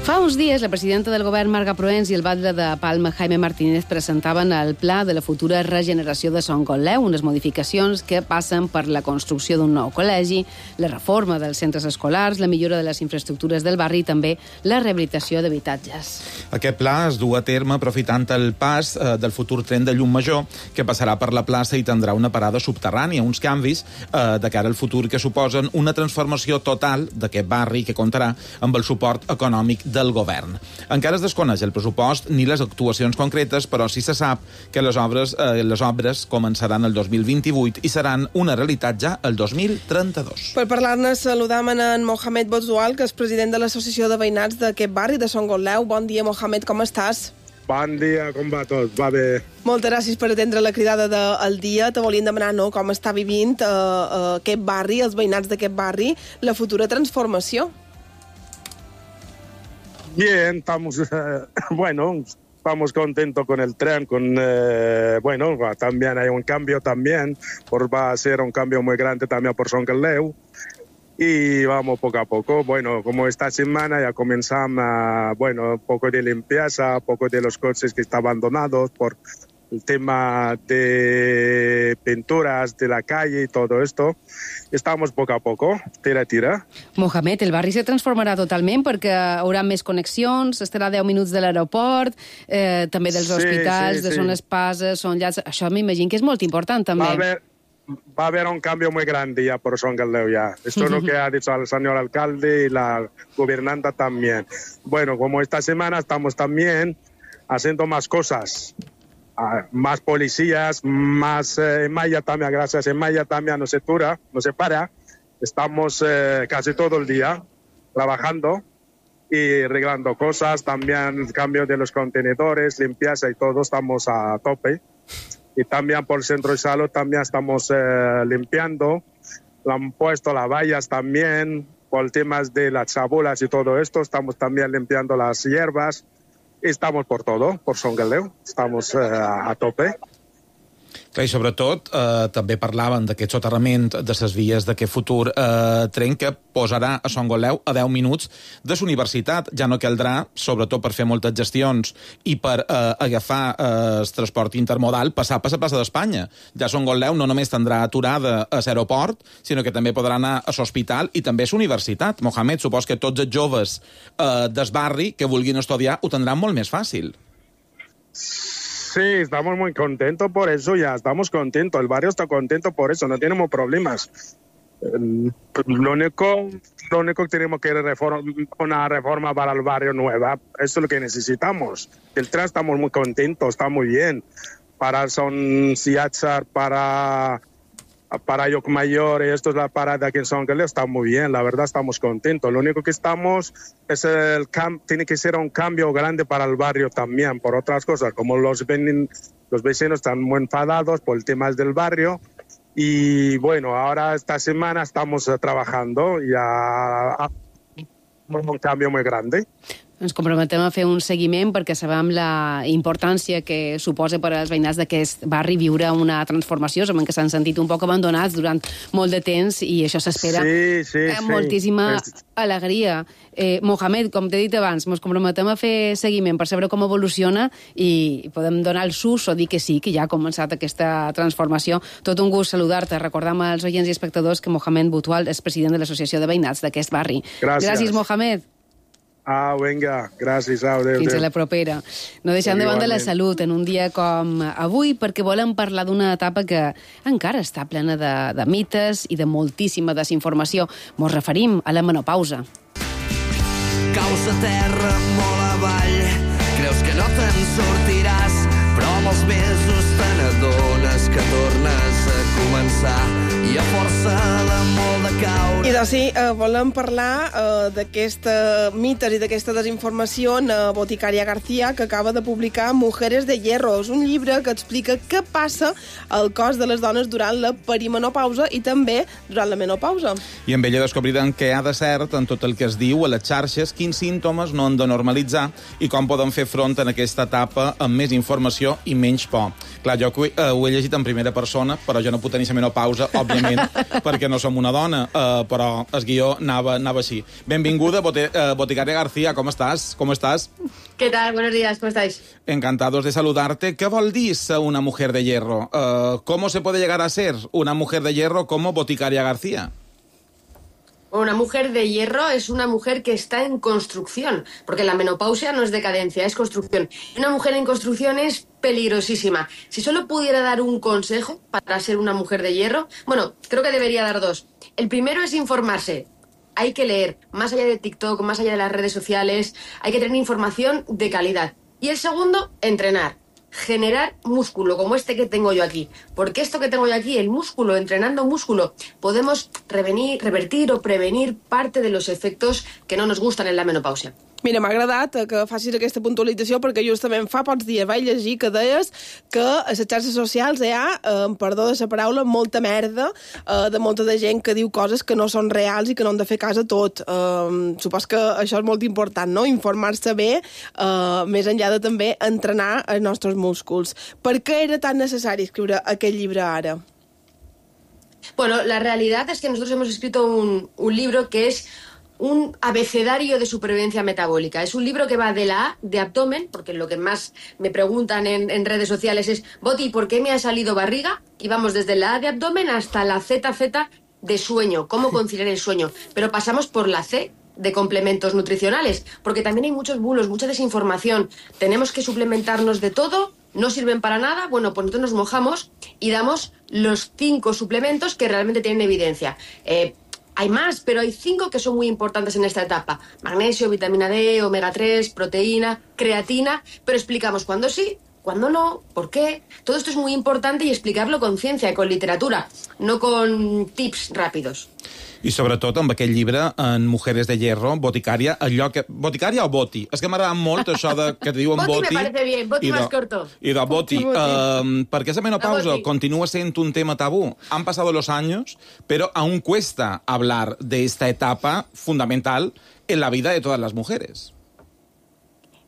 Fa uns dies, la presidenta del govern, Marga Proens, i el batlle de Palma, Jaime Martínez, presentaven el pla de la futura regeneració de Son Conleu, unes modificacions que passen per la construcció d'un nou col·legi, la reforma dels centres escolars, la millora de les infraestructures del barri i també la rehabilitació d'habitatges. Aquest pla es du a terme aprofitant el pas eh, del futur tren de Llumajor, que passarà per la plaça i tindrà una parada subterrània, uns canvis eh, de cara al futur que suposen una transformació total d'aquest barri que comptarà amb el suport econòmic del govern. Encara es desconeix el pressupost ni les actuacions concretes, però sí se sap que les obres, eh, les obres començaran el dos mil vint-i-vuit i seran una realitat ja el dos mil trenta-dos. Per parlar-ne saludam en Mohamed Bozoual, que és president de l'Associació de Veïnats d'aquest barri de Son Conleu. Bon dia, Mohamed, com estàs? Bon dia, com va tot? Va bé. Moltes gràcies per atendre la cridada del dia. Te volíem demanar, no?, com està vivint eh, eh, aquest barri, els veïnats d'aquest barri, la futura transformació. Bien, estamos, eh, bueno, estamos contentos con el tren, con, eh, bueno, también hay un cambio también, por, va a ser un cambio muy grande también por Son Conleu. y vamos poco a poco. Bueno, como esta semana ya comenzamos, uh, bueno, un poco de limpieza, un poco de los coches que están abandonados por el tema de pinturas de la calle y todo esto. Estamos poco a poco, tira, tira. Mohamed, el barri se transformarà totalment perquè hi haurà més connexions, estarà a deu minuts de l'aeroport, eh, també dels Sí, hospitals, sí, de sí. zones pases, són llars... Això m'imagino que és molt important, també. Va a haber, va a haber un cambio muy grande ya por Son Galdeo ya. Esto es lo que ha dicho el señor alcalde y la gobernanta también. Bueno, como esta semana estamos también haciendo más cosas. Uh, más policías, más eh, en Maya también, gracias en Maya también no se tura, no se para. Estamos eh, casi todo el día trabajando y arreglando cosas, también el cambio de los contenedores, limpieza y todo, estamos a tope. Y también por el centro de salud también estamos eh, limpiando, le han puesto las vallas también, por temas de las chabulas y todo esto, estamos también limpiando las hierbas. Estamos por todo, por Son Galdeo, estamos eh, a tope. Clar, i sobretot eh, també parlaven d'aquest soterrament de les vies d'aquest futur eh, tren que posarà a Son Galdeo a deu minuts de la universitat. Ja no caldrà, sobretot per fer moltes gestions i per eh, agafar eh, el transport intermodal, passar per la plaça d'Espanya. Ja Son Galdeo no només tindrà aturada a l'aeroport, sinó que també podrà anar a l'hospital i també a la universitat. Mohamed, supos que tots els joves eh, del barri que vulguin estudiar ho tindran molt més fàcil. Sí, estamos muy contentos por eso, ya estamos contentos, el barrio está contento por eso, no tenemos problemas. Eh, Lo único, lo único que tenemos que reformar una reforma para el barrio nueva, eso es lo que necesitamos. El tren estamos muy contentos, está muy bien. Para Son Siachar, para, para Llocmayor, esto es la parada aquí en Son Galdeo, está muy bien, la verdad estamos contentos. Lo único que estamos es el cam tiene que ser un cambio grande para el barrio también, por otras cosas, como los, ven los vecinos están muy enfadados por el tema del barrio. Y bueno, ahora esta semana estamos uh, trabajando ya a un cambio muy grande. Ens comprometem a fer un seguiment perquè sabem la importància que suposa per als veïnats d'aquest barri viure una transformació, sabem que s'han sentit un poc abandonats durant molt de temps i això s'espera sí, sí, amb moltíssima sí. alegria. Eh, Mohamed, com t'he dit abans, ens comprometem a fer seguiment per saber com evoluciona i podem donar el sus o dir que sí, que ja ha començat aquesta transformació. Tot un gust saludar-te. Recordam als oients i espectadors que Mohamed Boutwal és president de l'Associació de Veïnats d'aquest barri. Gràcies. Gràcies, Mohamed. Ah, vinga, gràcies. Au, adéu, Fins adéu. a la propera. No deixant de banda la salut en un dia com avui, perquè volem parlar d'una etapa que encara està plena de, de mites i de moltíssima desinformació. Mos referim a la menopausa. Caus a terra molt avall, creus que no te'n sortiràs, però amb els mesos te n'adones que tornes a començar i a força de molt de caure... I doncs sí, eh, volem parlar eh, d'aquesta mites i d'aquesta desinformació en eh, Boticària García, que acaba de publicar Mujeres de Hierro. És un llibre que explica què passa al cos de les dones durant la perimenopausa i també durant la menopausa. I amb ella descobrirem què ha de cert en tot el que es diu a les xarxes, quins símptomes no han de normalitzar i com podem fer front en aquesta etapa amb més informació i menys por. Clar, jo ho he, eh, ho he llegit en primera persona, però jo no puc tenir la menopausa, òbviament, perquè no som una dona, eh, però el guió anava, anava així. Benvinguda, Bote, eh, Boticària García, com estàs? Com estàs? ¿Qué tal? Buenos días, ¿cómo estáis? Encantados de saludarte. ¿Qué vol dir ser una mujer de hierro? Uh, ¿Cómo se puede llegar a ser una mujer de hierro como Boticària García? Una mujer de hierro es una mujer que está en construcción, porque la menopausia no es decadencia, es construcción. Y una mujer en construcción es peligrosísima. Si solo pudiera dar un consejo para ser una mujer de hierro, bueno, creo que debería dar dos. El primero es informarse. Hay que leer, más allá de TikTok, más allá de las redes sociales, hay que tener información de calidad. Y el segundo, entrenar. Generar músculo, como este que tengo yo aquí. Porque esto que tengo yo aquí, el músculo, entrenando músculo, podemos revenir, revertir o prevenir parte de los efectos que no nos gustan en la menopausia. Mira, m'ha agradat que facis aquesta puntualització perquè justament fa pocs dies vaig llegir que deies que a les xarxes socials hi ha, eh, perdó de la paraula, molta merda eh, de molta de gent que diu coses que no són reals i que no han de fer cas a tot. Eh, supos que això és molt important, no? Informar-se bé, eh, més enllà de també entrenar els nostres músculs. Per què era tan necessari escriure aquest llibre ara? Bueno, la realidad es que nosotros hemos escrito un, un libro que es un abecedario de supervivencia metabólica. Es un libro que va de la A, de abdomen, porque lo que más me preguntan en, en redes sociales es, Boti, ¿por qué me ha salido barriga? Y vamos desde la A de abdomen hasta la Z Z de sueño, cómo conciliar el sueño. Pero pasamos por la C de complementos nutricionales, porque también hay muchos bulos, mucha desinformación. Tenemos que suplementarnos de todo, no sirven para nada. Bueno, pues nosotros nos mojamos y damos los cinco suplementos que realmente tienen evidencia. Eh, hay más, pero hay cinco que son muy importantes en esta etapa. Magnesio, vitamina D, omega tres, proteína, creatina, pero explicamos cuándo sí, cuándo no, por qué. Todo esto es muy importante y explicarlo con ciencia i con literatura, no con tips ràpidos. I sobretot amb aquell llibre, en Mujeres de Hierro, Boticària, allò que... Boticària o Boti? És que m'agrada molt això de, que te diuen Boti. Boti me parece bien, Boti de, más corto. I de Boti. Uh, perquè esa menopausa continua sent un tema tabú. Han pasado los años, pero aún cuesta hablar de esta etapa fundamental en la vida de todas las mujeres.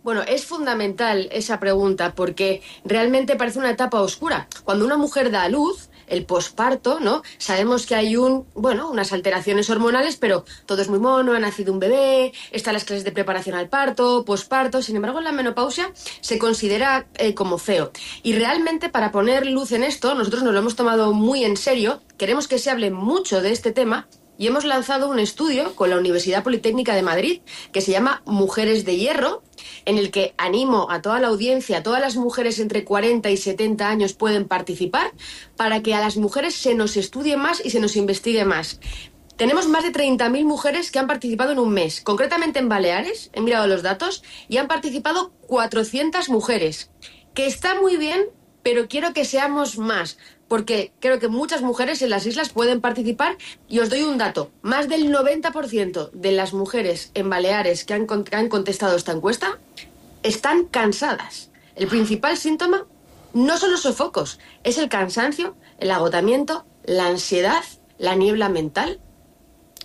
Bueno, es fundamental esa pregunta porque realmente parece una etapa oscura. Cuando una mujer da a luz, el posparto, ¿no? Sabemos que hay un, bueno, unas alteraciones hormonales, pero todo es muy mono, ha nacido un bebé, están las clases de preparación al parto, posparto. Sin embargo, en la menopausia se considera eh, como feo. Y realmente, para poner luz en esto, nosotros nos lo hemos tomado muy en serio, queremos que se hable mucho de este tema y hemos lanzado un estudio con la Universidad Politécnica de Madrid que se llama Mujeres de Hierro, en el que animo a toda la audiencia, a todas las mujeres entre cuarenta y setenta años pueden participar, para que a las mujeres se nos estudie más y se nos investigue más. Tenemos más de treinta mil mujeres que han participado en un mes, concretamente en Baleares, he mirado los datos, y han participado cuatrocientas mujeres, que está muy bien, pero quiero que seamos más, porque creo que muchas mujeres en las islas pueden participar, y os doy un dato, más del noventa por ciento de las mujeres en Baleares que han, que han contestado esta encuesta están cansadas. El principal síntoma no son los sofocos, es el cansancio, el agotamiento, la ansiedad, la niebla mental.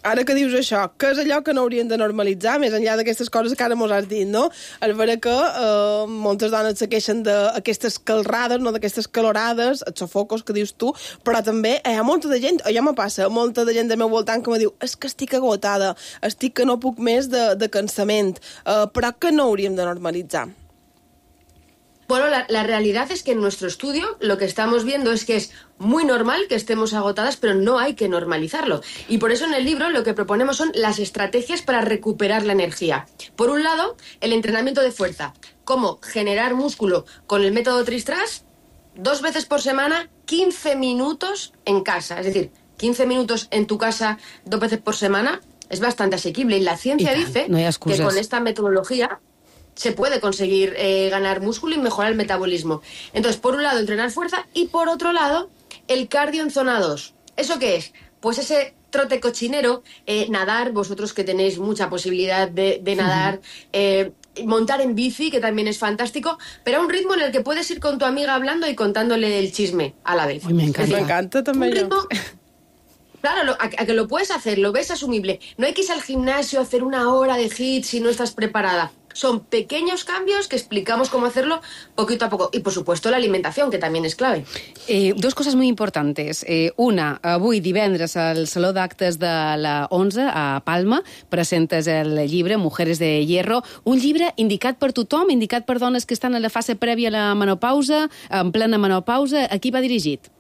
Ara que dius això, què és allò que no haurien de normalitzar, més enllà d'aquestes coses que ara mos has dit, no? És vera que eh, moltes dones se queixen d'aquestes calrades, no d'aquestes calorades, els sofocos que dius tu, però també hi ha molta de gent, allò me passa, molta de gent del meu voltant que me diu és que estic agotada, estic que no puc més de, de cansament, eh, però que no hauríem de normalitzar. Bueno, la, la realidad es que en nuestro estudio lo que estamos viendo es que es muy normal que estemos agotadas, pero no hay que normalizarlo. Y por eso en el libro lo que proponemos son las estrategias para recuperar la energía. Por un lado, el entrenamiento de fuerza. Cómo generar músculo con el método Tristras, dos veces por semana, quince minutos en casa. Es decir, quince minutos en tu casa, dos veces por semana, es bastante asequible. Y la ciencia y dice no hay que con esta metodología se puede conseguir eh, ganar músculo y mejorar el metabolismo. Entonces, por un lado, entrenar fuerza y por otro lado, el cardio en zona dos. ¿Eso qué es? Pues ese trote cochinero, eh, nadar, vosotros que tenéis mucha posibilidad de, de nadar, eh, montar en bici, que también es fantástico, pero a un ritmo en el que puedes ir con tu amiga hablando y contándole el chisme a la vez. Ay, me encanta. Es decir, me encanta también. Un ritmo, claro, lo, a, a que lo puedes hacer, lo ves asumible. No hay que ir al gimnasio a hacer una hora de hit si no estás preparada. Son pequeños cambios que explicamos cómo hacerlo poquito a poco. Y, por supuesto, la alimentación, que también es clave. Eh, dos coses molt importants. Eh, una, avui divendres al Saló d'Actes de la onze a Palma presentes el llibre Mujeres de Hierro, un llibre indicat per tothom, indicat per dones que estan en la fase prèvia a la menopausa, en plena menopausa. A qui va dirigit?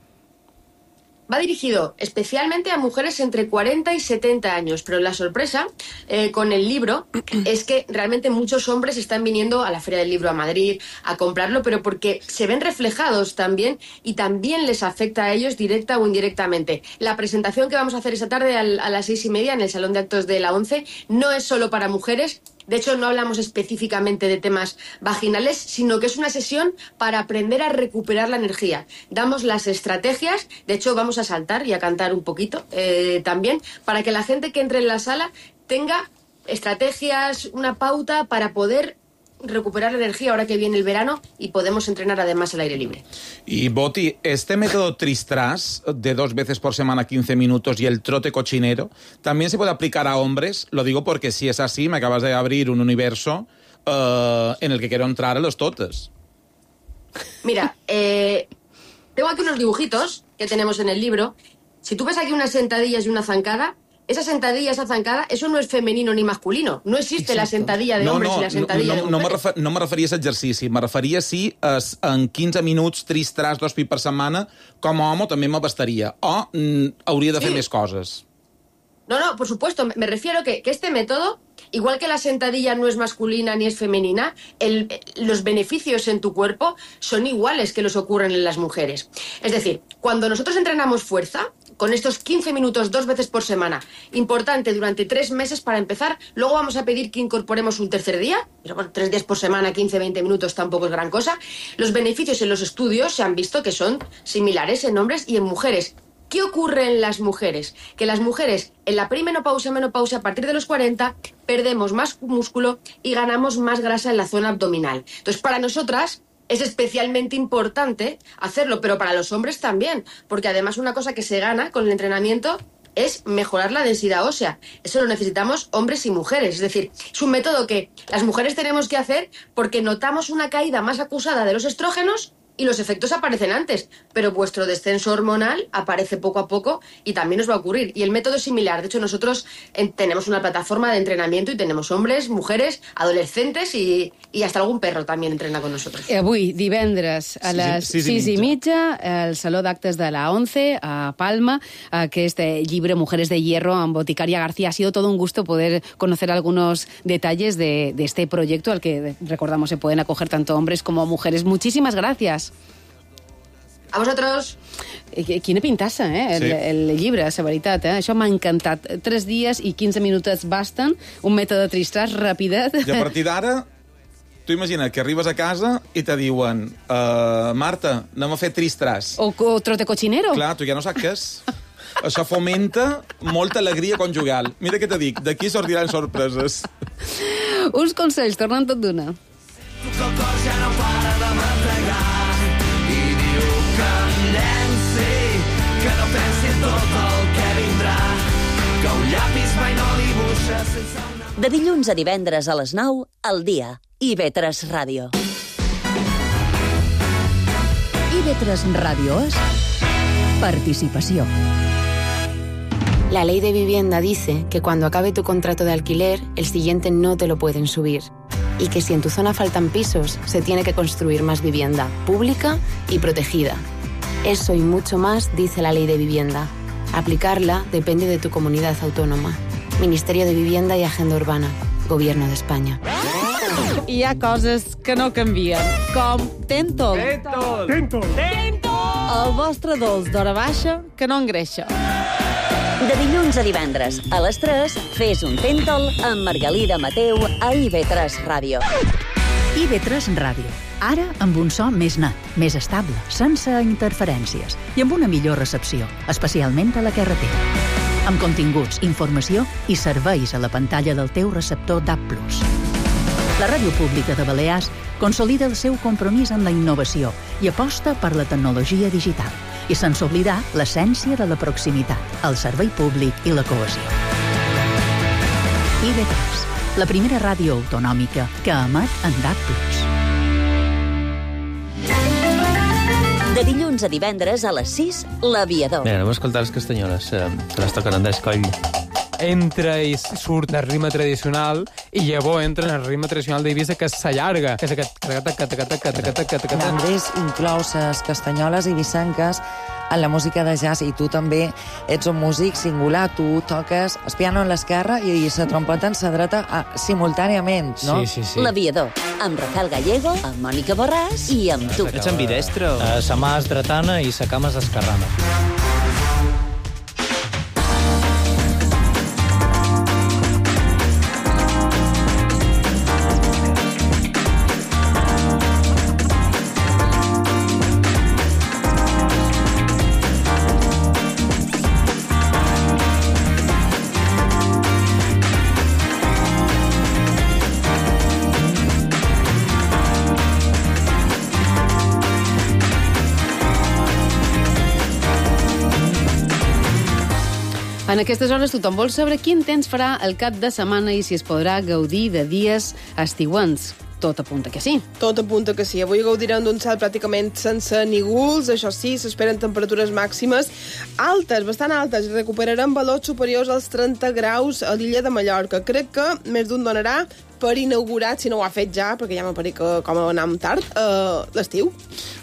Va dirigido especialmente a mujeres entre cuarenta y setenta años, pero la sorpresa eh, con el libro es que realmente muchos hombres están viniendo a la Feria del Libro a Madrid a comprarlo, pero porque se ven reflejados también y también les afecta a ellos directa o indirectamente. La presentación que vamos a hacer esta tarde al, a las seis y media en el Salón de Actos de la once no es solo para mujeres. De hecho, no hablamos específicamente de temas vaginales, sino que es una sesión para aprender a recuperar la energía. Damos las estrategias, de hecho vamos a saltar y a cantar un poquito eh, también, para que la gente que entre en la sala tenga estrategias, una pauta para poder recuperar la energía ahora que viene el verano y podemos entrenar además al aire libre. Y Boti, este método Tristras de dos veces por semana quince minutos y el trote cochinero, ¿también se puede aplicar a hombres? Lo digo porque si es así, me acabas de abrir un universo uh, en el que quiero entrar a los totes. Mira, eh, tengo aquí unos dibujitos que tenemos en el libro si tú ves aquí unas sentadillas y una zancada, esa sentadilla, esa zancada, eso no es femenino ni masculino. No existe Exacto. la sentadilla de no, hombres no, y la sentadilla no, no, de mujeres. No me, refer, no me referia a aquest exercici, me referia si es, en quinze minuts, tris-tras, dos pits per setmana, com a home també m'abastaria. O mm, hauria de fer sí. més coses. No, no, por supuesto. Me refiero que, que este método, igual que la sentadilla no es masculina ni es femenina, el, los beneficios en tu cuerpo son iguales que los ocurren en las mujeres. Es decir, cuando nosotros entrenamos fuerza, con estos quince minutos dos veces por semana, importante durante tres meses para empezar, luego vamos a pedir que incorporemos un tercer día, pero bueno, tres días por semana, quince a veinte minutos tampoco es gran cosa. Los beneficios en los estudios se han visto que son similares en hombres y en mujeres. ¿Qué ocurre en las mujeres? Que las mujeres en la perimenopausia, menopausia, a partir de los cuarenta, perdemos más músculo y ganamos más grasa en la zona abdominal. Entonces, para nosotras es especialmente importante hacerlo, pero para los hombres también, porque además una cosa que se gana con el entrenamiento es mejorar la densidad ósea. Eso lo necesitamos hombres y mujeres. Es decir, es un método que las mujeres tenemos que hacer porque notamos una caída más acusada de los estrógenos y los efectos aparecen antes, pero vuestro descenso hormonal aparece poco a poco y también os va a ocurrir. Y el método es similar. De hecho, nosotros en, tenemos una plataforma de entrenamiento y tenemos hombres, mujeres, adolescentes y, y hasta algún perro también entrena con nosotros. Avui, divendres, a les sis i mitja, al Saló d'Actes de la ONCE, a Palma, aquest llibre Mujeres de Hierro, amb Boticaria García. Ha sido todo un gusto poder conocer algunos detalles de, de este proyecto al que, recordamos, se pueden acoger tanto hombres como mujeres. Muchísimas gracias. A vosotros. Quina pintassa, eh? El, sí. el llibre, la veritat, eh? Això m'ha encantat. Tres dies i quinze minutets basten, un mètode tristàs, rapidet. I a partir d'ara, tu imagina que arribes a casa i te diuen uh, Marta, anem a fer tristàs. O, o trote cochinero. Clar, tu ja no saps què és. Això fomenta molta alegria conjugal. Mira què te dic, d'aquí sortiran sorpreses. Uns consells, tornant tot d'una. Tu que el cor ja no para de mategar i diu que em llenci, que no pensi en tot el que vindrà, que un llapis mai no dibuixa sense una... De dilluns a divendres a les nou, al dia. i ve tres Ràdio. i ve tres Ràdio és participació. La ley de vivienda dice que cuando acabe tu contrato de alquiler, el siguiente no te lo pueden subir. Y que si en tu zona faltan pisos, se tiene que construir más vivienda, pública y protegida. Eso y mucho más dice la ley de vivienda. Aplicarla depende de tu comunidad autónoma. Ministerio de Vivienda y Agenda Urbana. Gobierno de España. Hi ha coses que no canvien, com Tentol. Tentol! Tentol! Tentol! El vostre dolç d'hora baixa que no engreixa. De dilluns a divendres, a les tres, fes un Tentol amb Margalida Mateu a i ve tres Ràdio. i ve tres Ràdio. Ara amb un so més net, més estable, sense interferències i amb una millor recepció, especialment a la carretera. Amb continguts, informació i serveis a la pantalla del teu receptor D A B plus. La Ràdio Pública de Balears consolida el seu compromís amb la innovació i aposta per la tecnologia digital. I sense oblidar l'essència de la proximitat, el servei públic i la cohesió. i ve tres, la primera ràdio autonòmica que emet en D A B plus. De dilluns a divendres a les sis, L'Aviador. Mira, anem a escoltar les castanyoles, que les toquen Andrés Coll. Entra i surt el ritme tradicional i llavors entra en el ritme tradicional d'Eivissa, que s'allarga. L'Andrés inclou les castanyoles eivissenques en la música de jazz i tu també ets un músic singular. Tu toques el piano en l'esquerra i la trompeta en la dreta simultàniament, no? Sí, sí, sí. L'Aviador, amb Rafael Gallego, amb Mònica Borràs i amb tu. Ets ambidestro. La mà és dretana i la cama és esquerrana. En aquestes hores tothom vol saber quin temps farà el cap de setmana i si es podrà gaudir de dies estiuents. tot apunta que sí. Tot apunta que sí. Avui gaudirem d'un cel pràcticament sense nígols, això sí, s'esperen temperatures màximes altes, bastant altes. Recuperarem valors superiors als trenta graus a l'illa de Mallorca. Crec que més d'un donarà per inaugurat, si no ho ha fet ja, perquè ja m'ha parit que com anàvem tard, uh, l'estiu.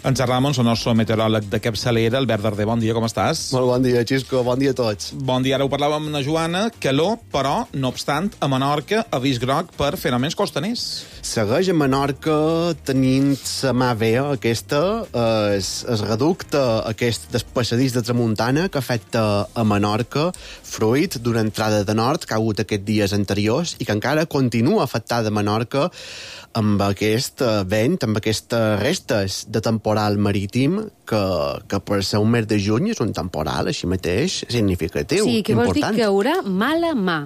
En Ramon, el nostre meteoròleg de capçalera, Albert Darder, bon dia, com estàs? Molt bon dia, Xisco, bon dia a tots. Bon dia, ara ho parlàvem amb la Joana, calor, però, no obstant, a Menorca, avís groc per fenòmens costaners. Segueix a Menorca tenint la mà vea aquesta, es, es reducte aquest despassadís de tramuntana que afecta a Menorca, fruit d'una entrada de nord que ha hagut aquests dies anteriors i que encara continua afectant de Menorca amb aquest vent, amb aquestes restes de temporal marítim que, que per ser un mes de juny és un temporal així mateix significatiu. Sí, que vols important. dir que hi haurà mala mà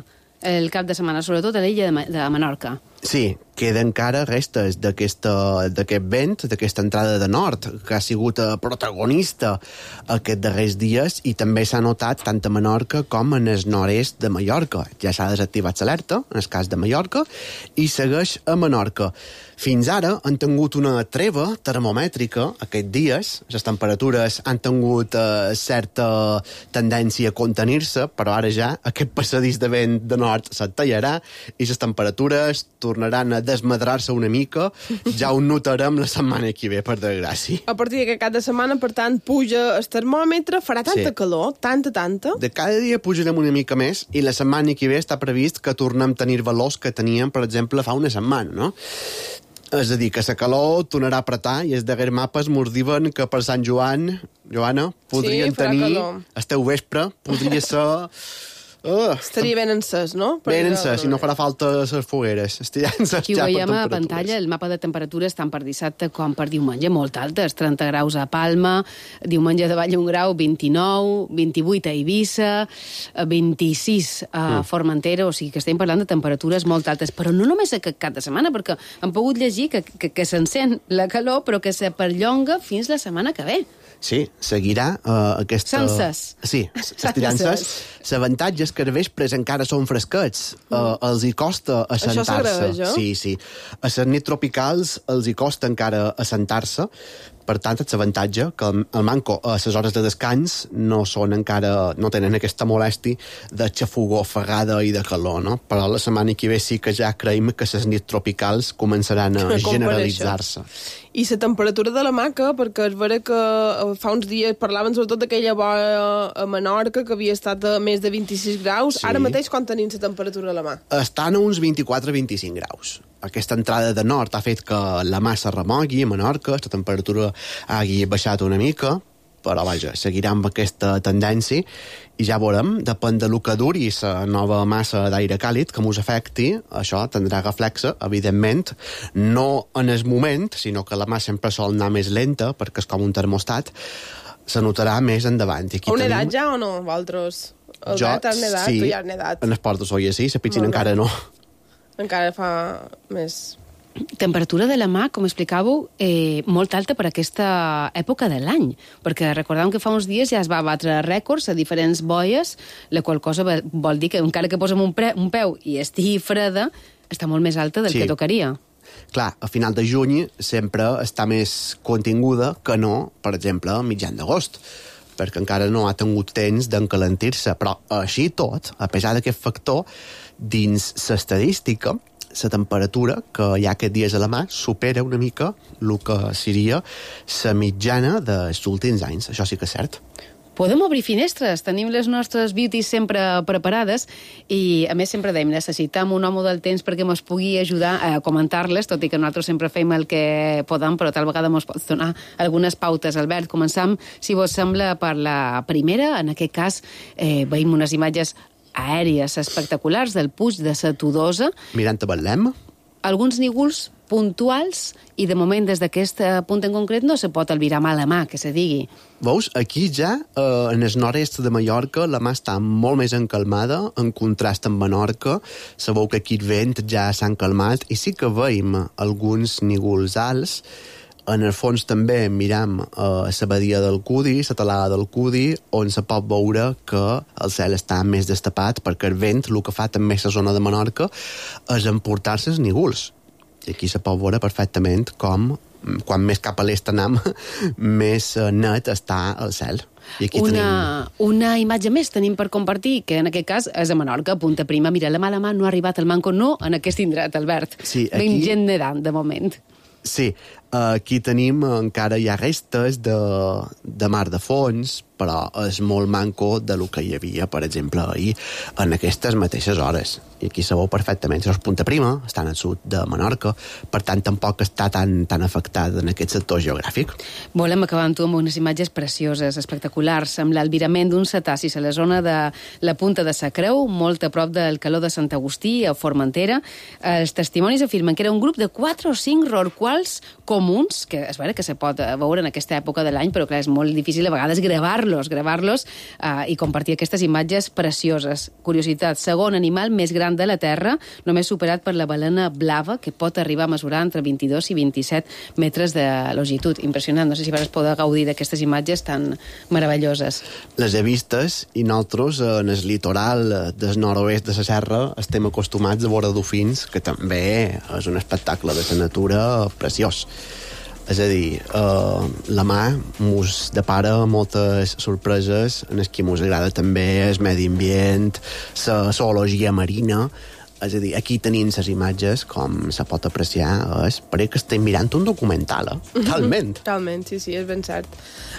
el cap de setmana, sobretot a l'illa de, de Menorca. Sí, queda encara restes d'aquest vent, d'aquesta entrada de nord, que ha sigut protagonista aquests darrers dies i també s'ha notat tant a Menorca com en el nord-est de Mallorca. Ja s'ha desactivat l'alerta, en el cas de Mallorca, i segueix a Menorca. Fins ara han tingut una treva termomètrica aquests dies, les temperatures han tingut eh, certa tendència a contenir-se, però ara ja aquest passadís de vent de nord se't tallarà i les temperatures tornaran a desmadrar-se una mica, ja ho notarem la setmana que ve, per desgràcia. A partir d'aquest cap de setmana, per tant, puja el termòmetre, farà tanta Sí. calor, tanta, tanta... De cada dia pujarem una mica més i la setmana que ve està previst que tornem a tenir valors que teníem, per exemple, fa una setmana, no? És a dir, que la calor tornarà a apretar i els darrers mapes mos diuen que per Sant Joan, Joana, podrien Sí, farà tenir calor. el teu vespre, podria ser... Uh, Estaria ben encès, no? ben Perquè- encès, si no farà falta les fogueres. Estiran Aquí ho veiem a pantalla, el mapa de temperatures tant per dissabte com per diumenge, molt altes, trenta graus a Palma, diumenge de Vall un grau, vint-i-nou, vint-i-vuit a Eivissa, vint-i-sis a Mm. Formentera, o sigui que estem parlant de temperatures molt altes, però no només aquest cap de setmana, perquè hem pogut llegir que, que, que s'encén la calor, però que se perllonga fins la setmana que ve. Sí, seguirà uh, aquesta... Senses. Sí, estirances. L'avantatge és que els vespres encara són fresquets. Uh, els hi costa Això assentar-se. s'agraeix, eh? Sí, sí. A les nits tropicals els hi costa encara assentar-se. Per tant, és l'avantatge que el, el manco a les hores de descans no són encara, no tenen aquesta molèstia de xafogó, ofegada i de calor, no? Però la setmana que ve sí que ja creiem que les nits tropicals començaran a Compareixen. generalitzar-se. I la temperatura de la maca, perquè es vera que fa uns dies parlaven sobretot d'aquella boia a Menorca, que havia estat a més de vint-i-sis graus. Sí. Ara mateix quan tenim la temperatura a la mà? Estan a uns vint-i-quatre a vint-i-cinc graus. Aquesta entrada de nord ha fet que la massa remogui a Menorca, la temperatura hagi baixat una mica, però vaja, seguirà amb aquesta tendència i ja veurem, depèn de lo que duri la nova massa d'aire càlid que mos afecti, això tindrà reflexe, evidentment, no en el moment, sinó que la mà sempre sol anar més lenta, perquè és com un termostat, se notarà més endavant. I aquí Heu tenim... nedat ja o no, vosaltres? El Jo, gat has nedat, sí, tu ja has nedat. en el Port de Soia sí, la piscina Molt bé. encara no. Encara fa més... Temperatura de la mà, com explicàveu, eh, molt alta per aquesta època de l'any, perquè recordem que fa uns dies ja es va batre rècords a diferents boies, la qual cosa vol dir que encara que posem un, pre, un peu i estigui freda, està molt més alta del Sí. que tocaria. Clar, a final de juny sempre està més continguda que no, per exemple, a mitjan d'agost, perquè encara no ha tingut temps d'encalentir-se. Però així tot, a pesar d'aquest factor, dins l'estadística, la temperatura que hi ha aquests dies a la mà supera una mica el que seria la mitjana dels últims anys. Això sí que és cert. Podem obrir finestres, tenim les nostres beauties sempre preparades i, a més, sempre dèiem, necessitem un home del temps perquè ens pugui ajudar a comentar-les, tot i que nosaltres sempre fem el que podem, però tal vegada ens pot donar algunes pautes. Albert, començam, si vos sembla, per la primera. En aquest cas, eh, veiem unes imatges aèries espectaculars del Puig de la Todosa. Mirant a Betlem. Alguns nígols puntuals i, de moment, des d'aquest punt en concret no se pot albirar mà a la mà, que se digui. Veus, aquí ja, eh, en el nord-est de Mallorca, la mà està molt més encalmada, en contrast amb Menorca. Sabeu que aquí el vent ja s'han calmat i sí que veiem alguns nígols alts. En el fons també miram a la badia del Cudi, la talada del Cudi, on se pot veure que el cel està més destapat perquè el vent, el que fa també la zona de Menorca, és emportar-se els nígols. I aquí se pot veure perfectament com, quan més cap a l'est anem, més net està el cel. I aquí una, tenim... una imatge més tenim per compartir, que en aquest cas és a Menorca, Punta Prima. Mira, la mala mà no ha arribat al Manco, no en aquest indret, Albert. Sí, aquí... Ben gent nedant, de moment. Sí, aquí tenim, encara hi ha restes de, de mar de fons, però és molt manco de lo que hi havia, per exemple, ahir, en aquestes mateixes hores. I aquí se veu perfectament. Això és Punta Prima, estan al sud de Menorca, per tant, tampoc està tan, tan afectat en aquest sector geogràfic. Volem acabar amb tu amb unes imatges precioses, espectaculars, amb l'albirament d'un cetacis a la zona de la Punta de Sa Creu, molt a prop del Caló de Sant Agustí, a Formentera. Els testimonis afirmen que era un grup de quatre o cinc rorquals comuns, que és vera que se pot veure en aquesta època de l'any, però clar, és molt difícil a vegades gravar-los, gravar-los eh, i compartir aquestes imatges precioses. Curiositat, segon animal més gran de la Terra, només superat per la balena blava, que pot arribar a mesurar entre vint-i-dos i vint-i-set metres de longitud. Impressionant, no sé si vas poder gaudir d'aquestes imatges tan meravelloses. Les he vistes i nosaltres en el litoral del nord-oest de la serra estem acostumats a veure dofins, que també és un espectacle de la natura preciós. És a dir, eh, la mà mos depara moltes sorpreses en el que mos agrada també el medi ambient, la zoologia marina. És a dir, aquí tenim les imatges, com se pot apreciar, és pareix que estem mirant un documental, eh? Talment. Talment, sí, sí, és ben cert.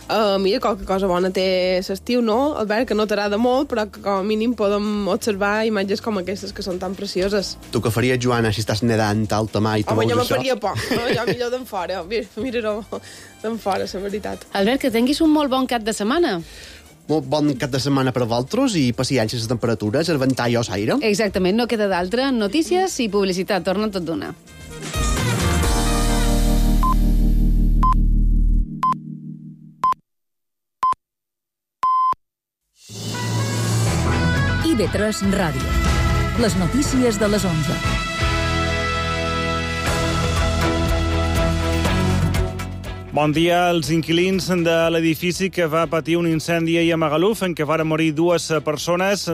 Uh, mira, qualque cosa bona té l'estiu, no? Albert, que no t'agrada molt, però que com a mínim podem observar imatges com aquestes, que són tan precioses. Tu què faries, Joana, si estàs nedant alta mar i tu Home, veus jo això? me faria por, no? Jo millor d'en fora. Mira-ho d'en fora, la veritat. Albert, que tinguis un molt bon cap de setmana. Molt bon cap de setmana per a vosaltres i paciència les temperatures, el ventall o l'aire. Exactament, no queda d'altra. Notícies i publicitat, torna tot d'una. I V tres Ràdio. Les notícies de les onze. Bon dia. Els inquilins de l'edifici que va patir un incendi ahir a Magaluf, en què varen morir dues persones,